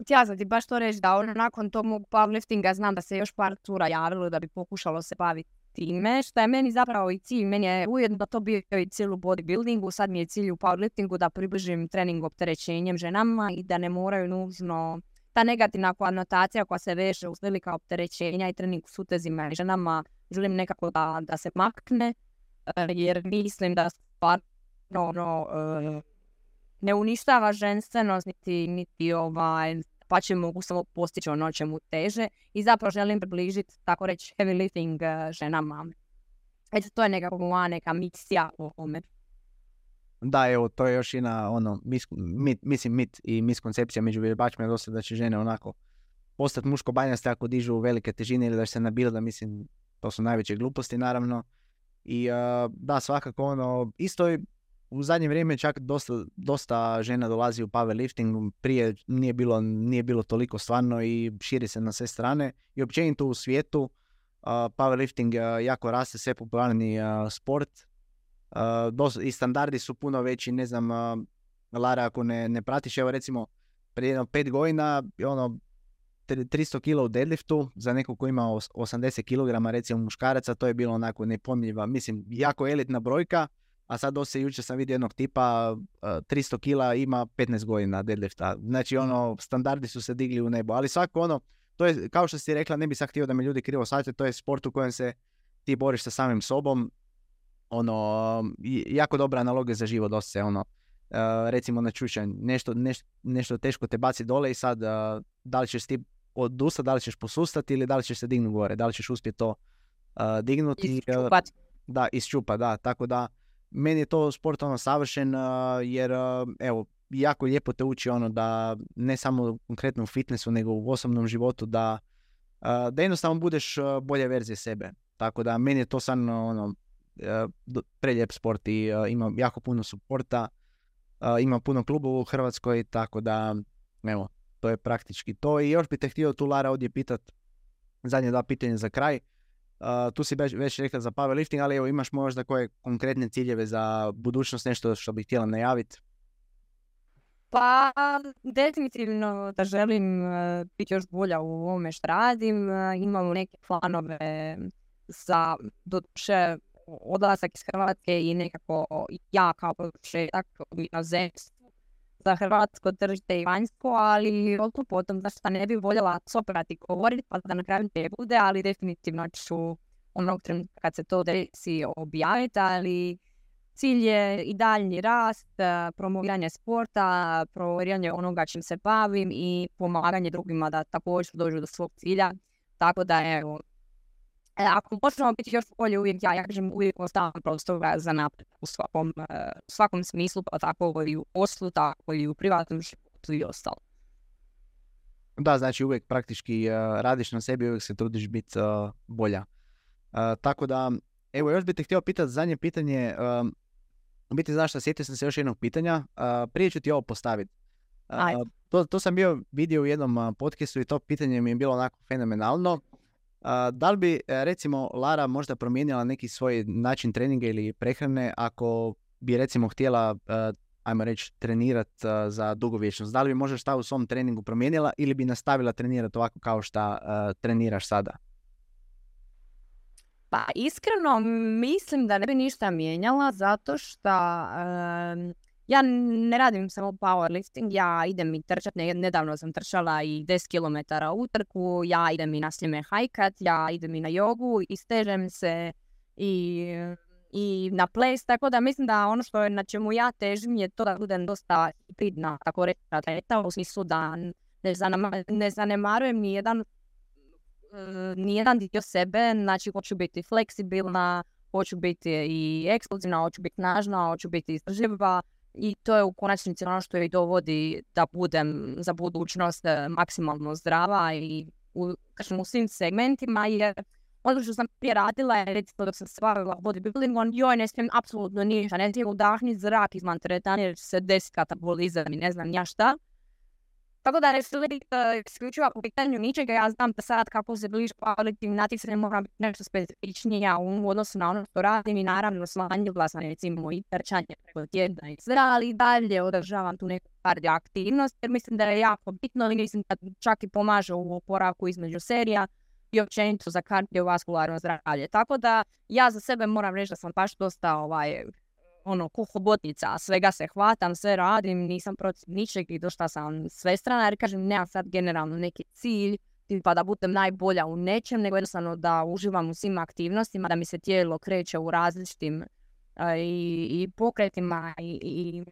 Htjela sam ti baš to reći da nakon tog mog powerliftinga znam da se još par tura javilo da bi pokušalo se baviti time, što je meni zapravo i cilj. Meni je ujedno to bio i cilj u bodybuildingu, sad mi je cilj u powerliftingu da približim trening opterećenjem ženama i da ne moraju nužno ta negativna konotacija koja se veže uz velika opterećenja i trening s utezima i ženama, želim nekako da se makne, jer mislim da stvarno ne uništava ženstvenost, niti pa će mogu samo postići ono čemu teže i zapravo želim približiti, tako reći, heavy lifting ženama. Eto, to je nekako moja neka misija o ome. Da, evo, to je još jedna mit i miskoncepcija među vježbačima dosta da će žene onako postati muško-banjaste ako dižu velike težine ili da će se nabilda, mislim, to su najveće gluposti naravno. I da, svakako isto je u zadnje vrijeme čak dosta žena dolazi u powerlifting, prije nije bilo toliko stvarno i širi se na sve strane. I općenito u svijetu powerlifting jako raste, sve popularni sport. I standardi su puno veći, ne znam, Lara, ako ne pratiš, evo recimo prije 5 godina 300 kg u deadliftu za nekog ko ima 80 kg recimo muškaraca, to je bilo onako nepomljiva, mislim, jako elitna brojka. A sad jučer sam vidio jednog tipa 300 kg ima 15 godina deadlifta. Znači standardi su se digli u nebo. Ali svako to je, kao što si rekla, ne bi sad htio da me ljudi krivo shvate, to je sport u kojem se ti boriš sa samim sobom. Jako dobra analogija za život dosta se recimo na čučanj. Nešto teško te baci dole i sad da li ćeš ti odustati, da li ćeš posustati ili da li ćeš se dignuti gore. Da li ćeš uspjeti to dignuti. Da, isčupa, da. Tako da meni je to sport savršen jer evo, jako lijepo te uči da ne samo konkretno u fitnessu nego u osobnom životu da jednostavno budeš bolje verzije sebe. Tako da meni je to stvarno prelijep sport i ima jako puno suporta, ima puno klubova u Hrvatskoj, tako da evo, to je praktički to. I još bih te htio tu, Lara, ovdje pitat zadnje 2 pitanja za kraj. Tu si već rekla za powerlifting, ali evo, imaš možda koje konkretne ciljeve za budućnost, nešto što bih htjela najaviti? Pa, definitivno da želim biti još bolja u ovome što radim. Imamo neke planove za doduše odlazak iz Hrvatske i nekako ja kao početak u inozemstvu za hrvatsko tržište i vanjsko, ali potom zašto ne bi voljela soprati govoriti pa da na kraju ne bude, ali definitivno ću onog trenutka kad se to desi objaviti, ali cilj je i daljnji rast, promoviranje sporta, promoviranje onoga čim se bavim i pomaganje drugima da također dođu do svog cilja, tako da evo, ako možemo biti još bolje, uvijek ja kažem, uvijek ostavljam prostora za napred u svakom smislu, pa tako i u poslu, tako i u privatnom životu i ostalo. Da, znači uvijek praktički radiš na sebi, uvijek se trudiš biti bolja. Tako da, evo, još bih te htio pitati zadnje pitanje. Biti, znaš šta, sjetio sam se još jednog pitanja. Prije ću ti ovo postaviti. To sam vidio u jednom podcastu i to pitanje mi je bilo onako fenomenalno. Da li bi, recimo, Lara možda promijenila neki svoj način treninga ili prehrane ako bi, recimo, htjela, ajmo reći, trenirati za dugovječnost? Da li bi možda šta u svom treningu promijenila ili bi nastavila trenirati ovako kao šta treniraš sada? Pa iskreno mislim da ne bi ništa mijenjala zato što ja ne radim samo powerlifting, ja idem i trčati, nedavno sam trčala i 10 km utrku, ja idem i na Sljeme hajkat, ja idem i na jogu i stežem se i na ples, tako da mislim da ono što je na čemu ja težim je to da budem dosta hibridna, tako reći, atleta, u smislu da ne zanemarujem nijedan dio sebe, znači hoću biti fleksibilna, hoću biti i eksplozivna, hoću biti snažna, hoću biti izdržljiva i to je u konačnici ono što je i dovodi da budem za budućnost maksimalno zdrava i u svim segmentima, jer ono što sam prije radila je, recimo dok sam se bavila bodybuildingom, joj ne smijem apsolutno ništa, ne smijem udahnuti zrak izvan teretana jer će se desiti katabolizam i ne znam ja šta. Tako da ne slijedi isključivo po pitanju ničega. Ja znam da sad kako se bliži powerlifting natjecanje moram biti nešto specifičnija u odnosu na ono što radim i naravno smanjila sam recimo i trčanje preko tjedna i sve, ali dalje održavam tu neku kardio aktivnost jer mislim da je jako bitno i mislim da čak i pomaže u oporavku između serija i općenito za kardiovaskularno zdravlje. Tako da ja za sebe moram reći da sam baš dosta kuhobotnica, svega se hvatam, sve radim, nisam protiv ničeg i došla sam svestrana jer kažem nemam sad generalno neki cilj pa da budem najbolja u nečem, nego jednostavno da uživam u svim aktivnostima, da mi se tijelo kreće u različitim i pokretima i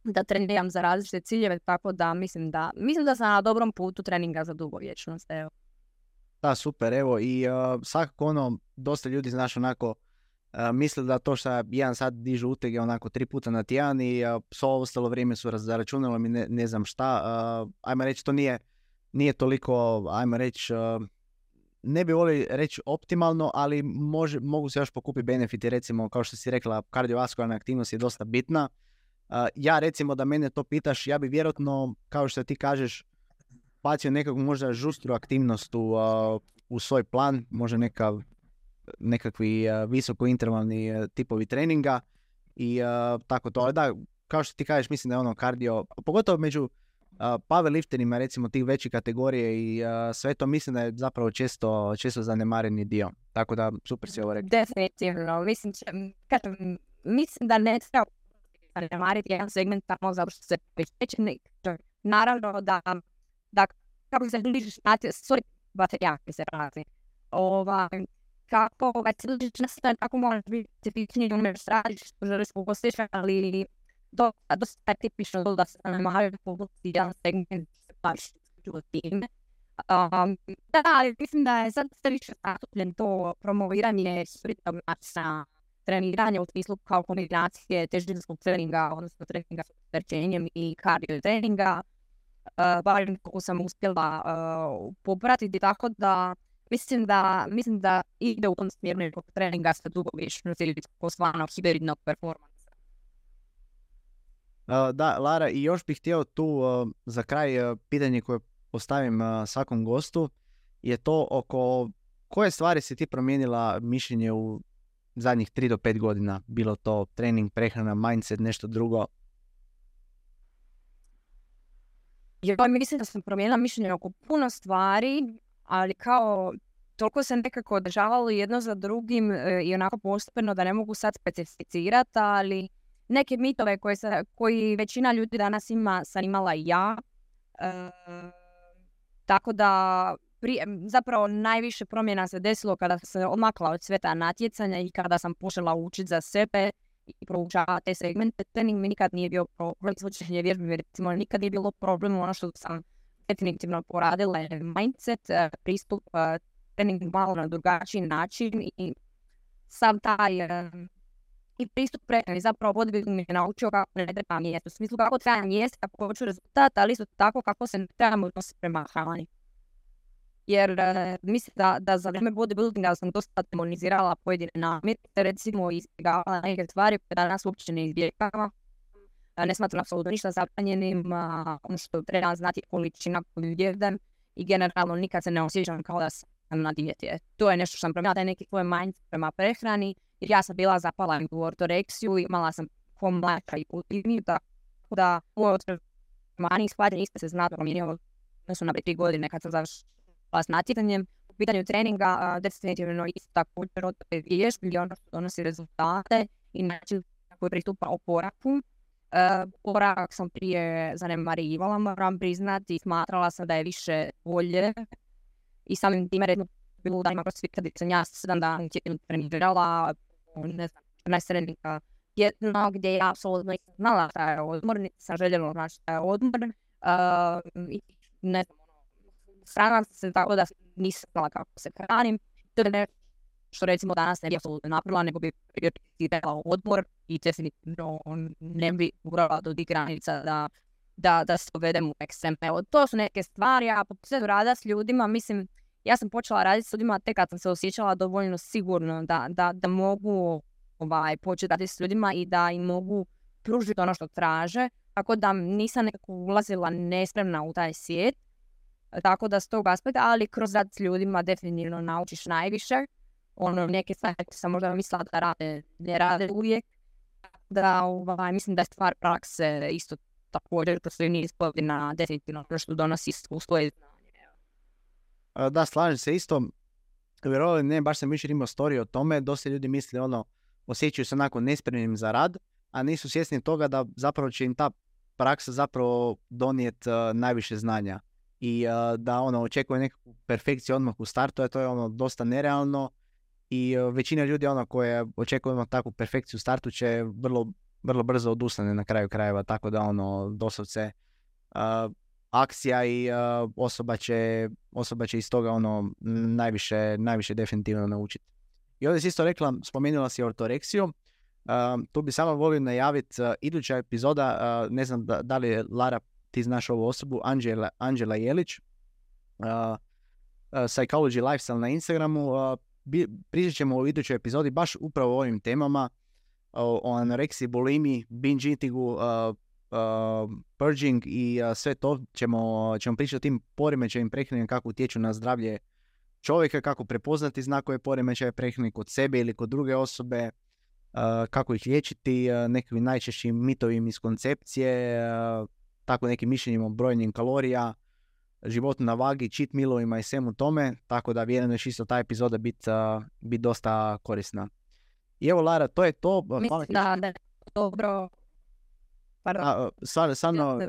da treniram za različite ciljeve, tako da mislim da sam na dobrom putu treninga za dugovječnost. Evo. Da, super, evo i svakako dosta ljudi znaš onako misle da to što jedan sad dižu utege onako 3 puta na tjedan i svo ostalo vrijeme su zaračunalo mi ne znam šta. Ajmo reći, to nije toliko, ajmo reći, ne bi volio reći optimalno, ali mogu se još pokupiti benefiti, recimo kao što si rekla, kardiovaskularna aktivnost je dosta bitna. Ja recimo da mene to pitaš, ja bi vjerojatno, kao što ti kažeš, bacio nekakvu možda žustru aktivnost u svoj plan, možda nekakvi visokointervalni tipovi treninga i tako to. Da, kao što ti kažeš, mislim da je kardio, pogotovo među powerlifterima, recimo tih većih kategorije i sve to, mislim da je zapravo često zanemareni dio. Tako da, super si ovo rekao. Definitivno. Mislim da ne treba zanemariti jedan segment tamo zato što se pečećeni. Naravno da kako se bližiš baterijaki se prazi. Kako se bližiš nastavljati, kako možeš biti tipičniji, umješ radiš, što želiš postići, ali dosta je tipično da se zanemaraju pogosti jedan segment se baš u time. Da, ali mislim da je sad sve više zastupljen to promoviranje suritog načina treniranja u smislu kao kombinacije težinskog treninga, odnosno treninga s opterećenjem i kardio treninga. Barem kako sam uspjela popratiti, tako da mislim da ide u tom smjeru nekog treninga sa dugovječnosti ili takozvanog hibridnog performansa. Da, Lara, i još bih htio tu za kraj pitanje koje postavim svakom gostu je to oko koje stvari si ti promijenila mišljenje u zadnjih 3 do 5 godina, bilo to trening, prehrana, mindset, nešto drugo? Ja mislim da sam promijenila mišljenje oko puno stvari, ali kao toliko se nekako održavalo jedno za drugim i onako postupno da ne mogu sad specificirati, ali neke mitove koji većina ljudi danas ima sam imala i ja. Tako da zapravo najviše promjena se desilo kada sam se odmakla od sveta natjecanja i kada sam počela učiti za sebe i proučavati te segmente. Trening mi nikad nije bio problem, izvođenje vježbe recimo nikad nije bilo problem. Ono što sam definitivno poradila je mindset, pristup treningu malo na drugačiji način i sam taj i pristup prehrani. Zapravo bodybuilding mi je naučio kako ne treba jesti. U smislu kako treba jesti, kako hoću rezultat, ali isto tako kako se ne trebamo odnositi prema hrani. Jer mislim da za vrijeme bodybuildinga sam dosta demonizirala pojedine namirnice, recimo izbjegavala neke stvari koje danas uopće ne izbjegava. Ne smatram apsolutno ništa zabranjenim, ono što treba znati količina koju jedem i generalno nikad se ne osjećam kao da sam na dijeti. To je nešto što sam promijenila, taj neki svoj mindset prema prehrani, jer ja sam bila zapala u ortoreksiju, imala sam mlača i kultivniju, tako da u otremaniji shvaćanje isto se znatno promijenio odnosno na 3 godine kad sam završila s natjecanjem. U pitanju treninga definitivno isto također od vježbi, ono što donosi rezultate i način koji pristupa oporavku. Oporavak sam prije zanemarivala, moram priznati, i smatrala sam da je više bolje i samim time redno bilo danima crossfit kad sam ja 7 dana tjedno trenirala, ne znam, 14 treninga tjedno gdje ja apsolutno nisam znala šta je odmor, niti sam željela znači šta je odmor i ne znam, sramam se tako da nisam znala kako se hranim. To je nešto što recimo danas ne bi apsolutno napravila, nego bi prioritirala odmor i definitivno ne bi urala do tih granica da se uvedem u ekstrem. Evo, to su neke stvari, a po sve rada s ljudima, mislim, ja sam počela raditi s ljudima tek kad sam se osjećala dovoljno sigurno da mogu početi raditi s ljudima i da im mogu pružiti ono što traže. tako da nisam nekako ulazila nespremna u taj svijet. Tako da s tog aspekta, ali kroz rad s ljudima definitivno naučiš najviše. Neke stvari sam možda mislila da rade, ne rade uvijek. Da, mislim da je stvar prakse isto također, to sve nije ispovjedina definitivno što donosi iskustvo i znanje. Da, slažem se isto. Vjerovali ne, baš sam više imao storiju o tome. Dosta ljudi misle osjećaju se onako nespremnim za rad, a nisu svjesni toga da zapravo će im ta praksa zapravo donijeti najviše znanja. I da očekuje nekakvu perfekciju odmah u startu, a to je dosta nerealno. I većina ljudi koje očekuju takvu perfekciju u startu će vrlo brzo odustane na kraju krajeva, tako da doslovce akcija i osoba će iz toga najviše definitivno naučiti. I ovdje si isto rekla, spomenula si ortoreksiju, tu bi samo volio najaviti iduća epizoda, ne znam da li je Lara, ti znaš ovu osobu, Anđela Jelić, Psychology Lifestyle na Instagramu. Pričat ćemo u idućoj epizodi baš upravo o ovim temama, o anoreksiji, bulimiji, binge eatingu, purging i sve to ćemo pričati o tim poremećajima prehrane, kako utječu na zdravlje čovjeka, kako prepoznati znakove poremećaja prehrane kod sebe ili kod druge osobe, kako ih liječiti, nekim najčešćim mitovim iz koncepcije, tako nekim mišljenjima o brojenjem kalorija, životu na vagi, cheat mealovima i svemu tome, tako da vjerujem da će isto ta epizoda biti dosta korisna. I evo Lara, to je to. Mislim da je dobro. Stvarno,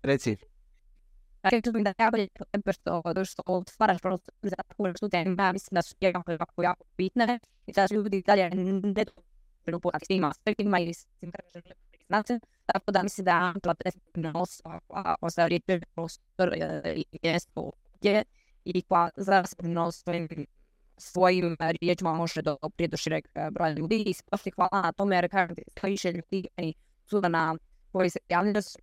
reci. Rekli da je bolje što stvaraš prostor za takvu vrstu tema, mislim da su jako bitne i da ljudi dalje ne dobiju upoznati s tim aspektima ili s tim kada žele priznati. Tako da mislim da je Antla definitivno osoba riječi prostor i mjesto gdje i koja zasigurno svojim riječima može doprijeti do šireg broja ljudi i baš hvala na tome jer kažem da više ljudi su na koji se javljaju da su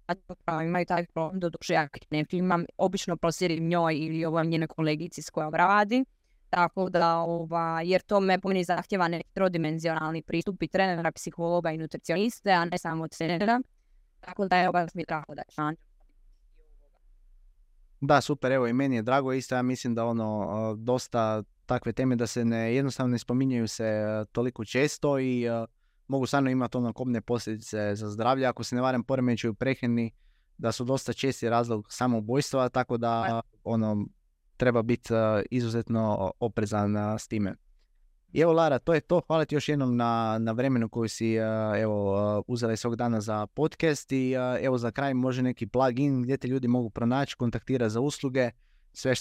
imaju taj problem do duše ja ne filmam, obično prosjedim njoj ili njene kolegici s kojom radi. Tako da, jer to me po meni zahtjeva neki trodimenzionalni pristup i trenera, psihologa i nutricioniste, a ne samo trenera. Tako da je mi drago da je šanj. Da, super, evo i meni je drago isto, ja mislim da dosta takve teme da se jednostavno ne spominjaju se toliko često i mogu stvarno imati kobne posljedice za zdravlje. Ako se ne varam, poremećaji u prehrani da su dosta česti razlog samoubojstva, tako da treba biti izuzetno oprezan s time. I evo Lara, to je to. Hvala ti još jednom na vremenu koju si uzela svog dana za podcast i evo za kraj može neki plugin gdje te ljudi mogu pronaći, kontaktirati za usluge, sve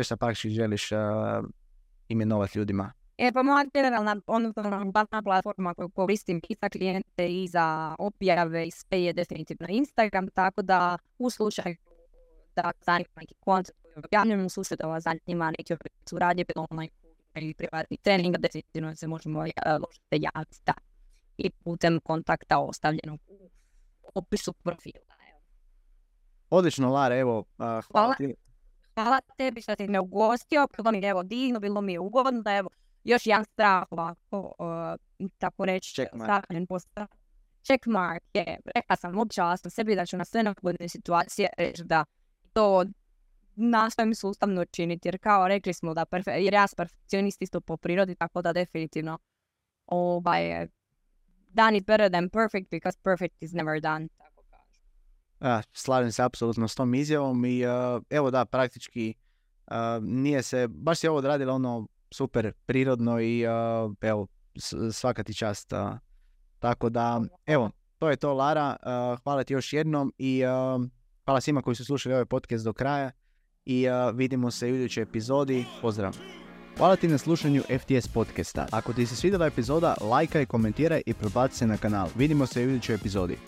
što praktički želiš imenovati ljudima. Pa moja generalna platforma koju koristim i za klijente i za objave i sve je definitivno Instagram, tako da u slučaju da zanima neki koncept koji objavljam, u slučaju da vas zanima neki suradnje, ili privatni trening, definitivno se možemo javiti i putem kontakta ostavljenog u opisu profila. Odlično, Lara, evo, hvala ti. Hvala tebi što si me ugostio, bilo mi je divno, bilo mi je ugodno, evo, još jedan strah ovako, tako reći, strahnen postav. Checkmark je, rekla sam občasno sebi da ću na sve nagodne situacije reći da to nastojim sustavno činiti, jer kao rekli smo da jer ja sam perfekcionist isto po prirodi, tako da definitivno done is better than perfect because perfect is never done. Slažem se apsolutno s tom izjavom i evo da, praktički nije se, baš si ovo odradila super prirodno i evo, svaka ti čast. Tako da, evo, to je to Lara, hvala ti još jednom i hvala svima koji su slušali ovaj podcast do kraja i vidimo se u idućoj epizodi. Pozdrav! Hvala ti na slušanju FTS podcasta. Ako ti se svidjela epizoda, lajkaj, komentiraj i prebaci se na kanal. Vidimo se u idućoj epizodi.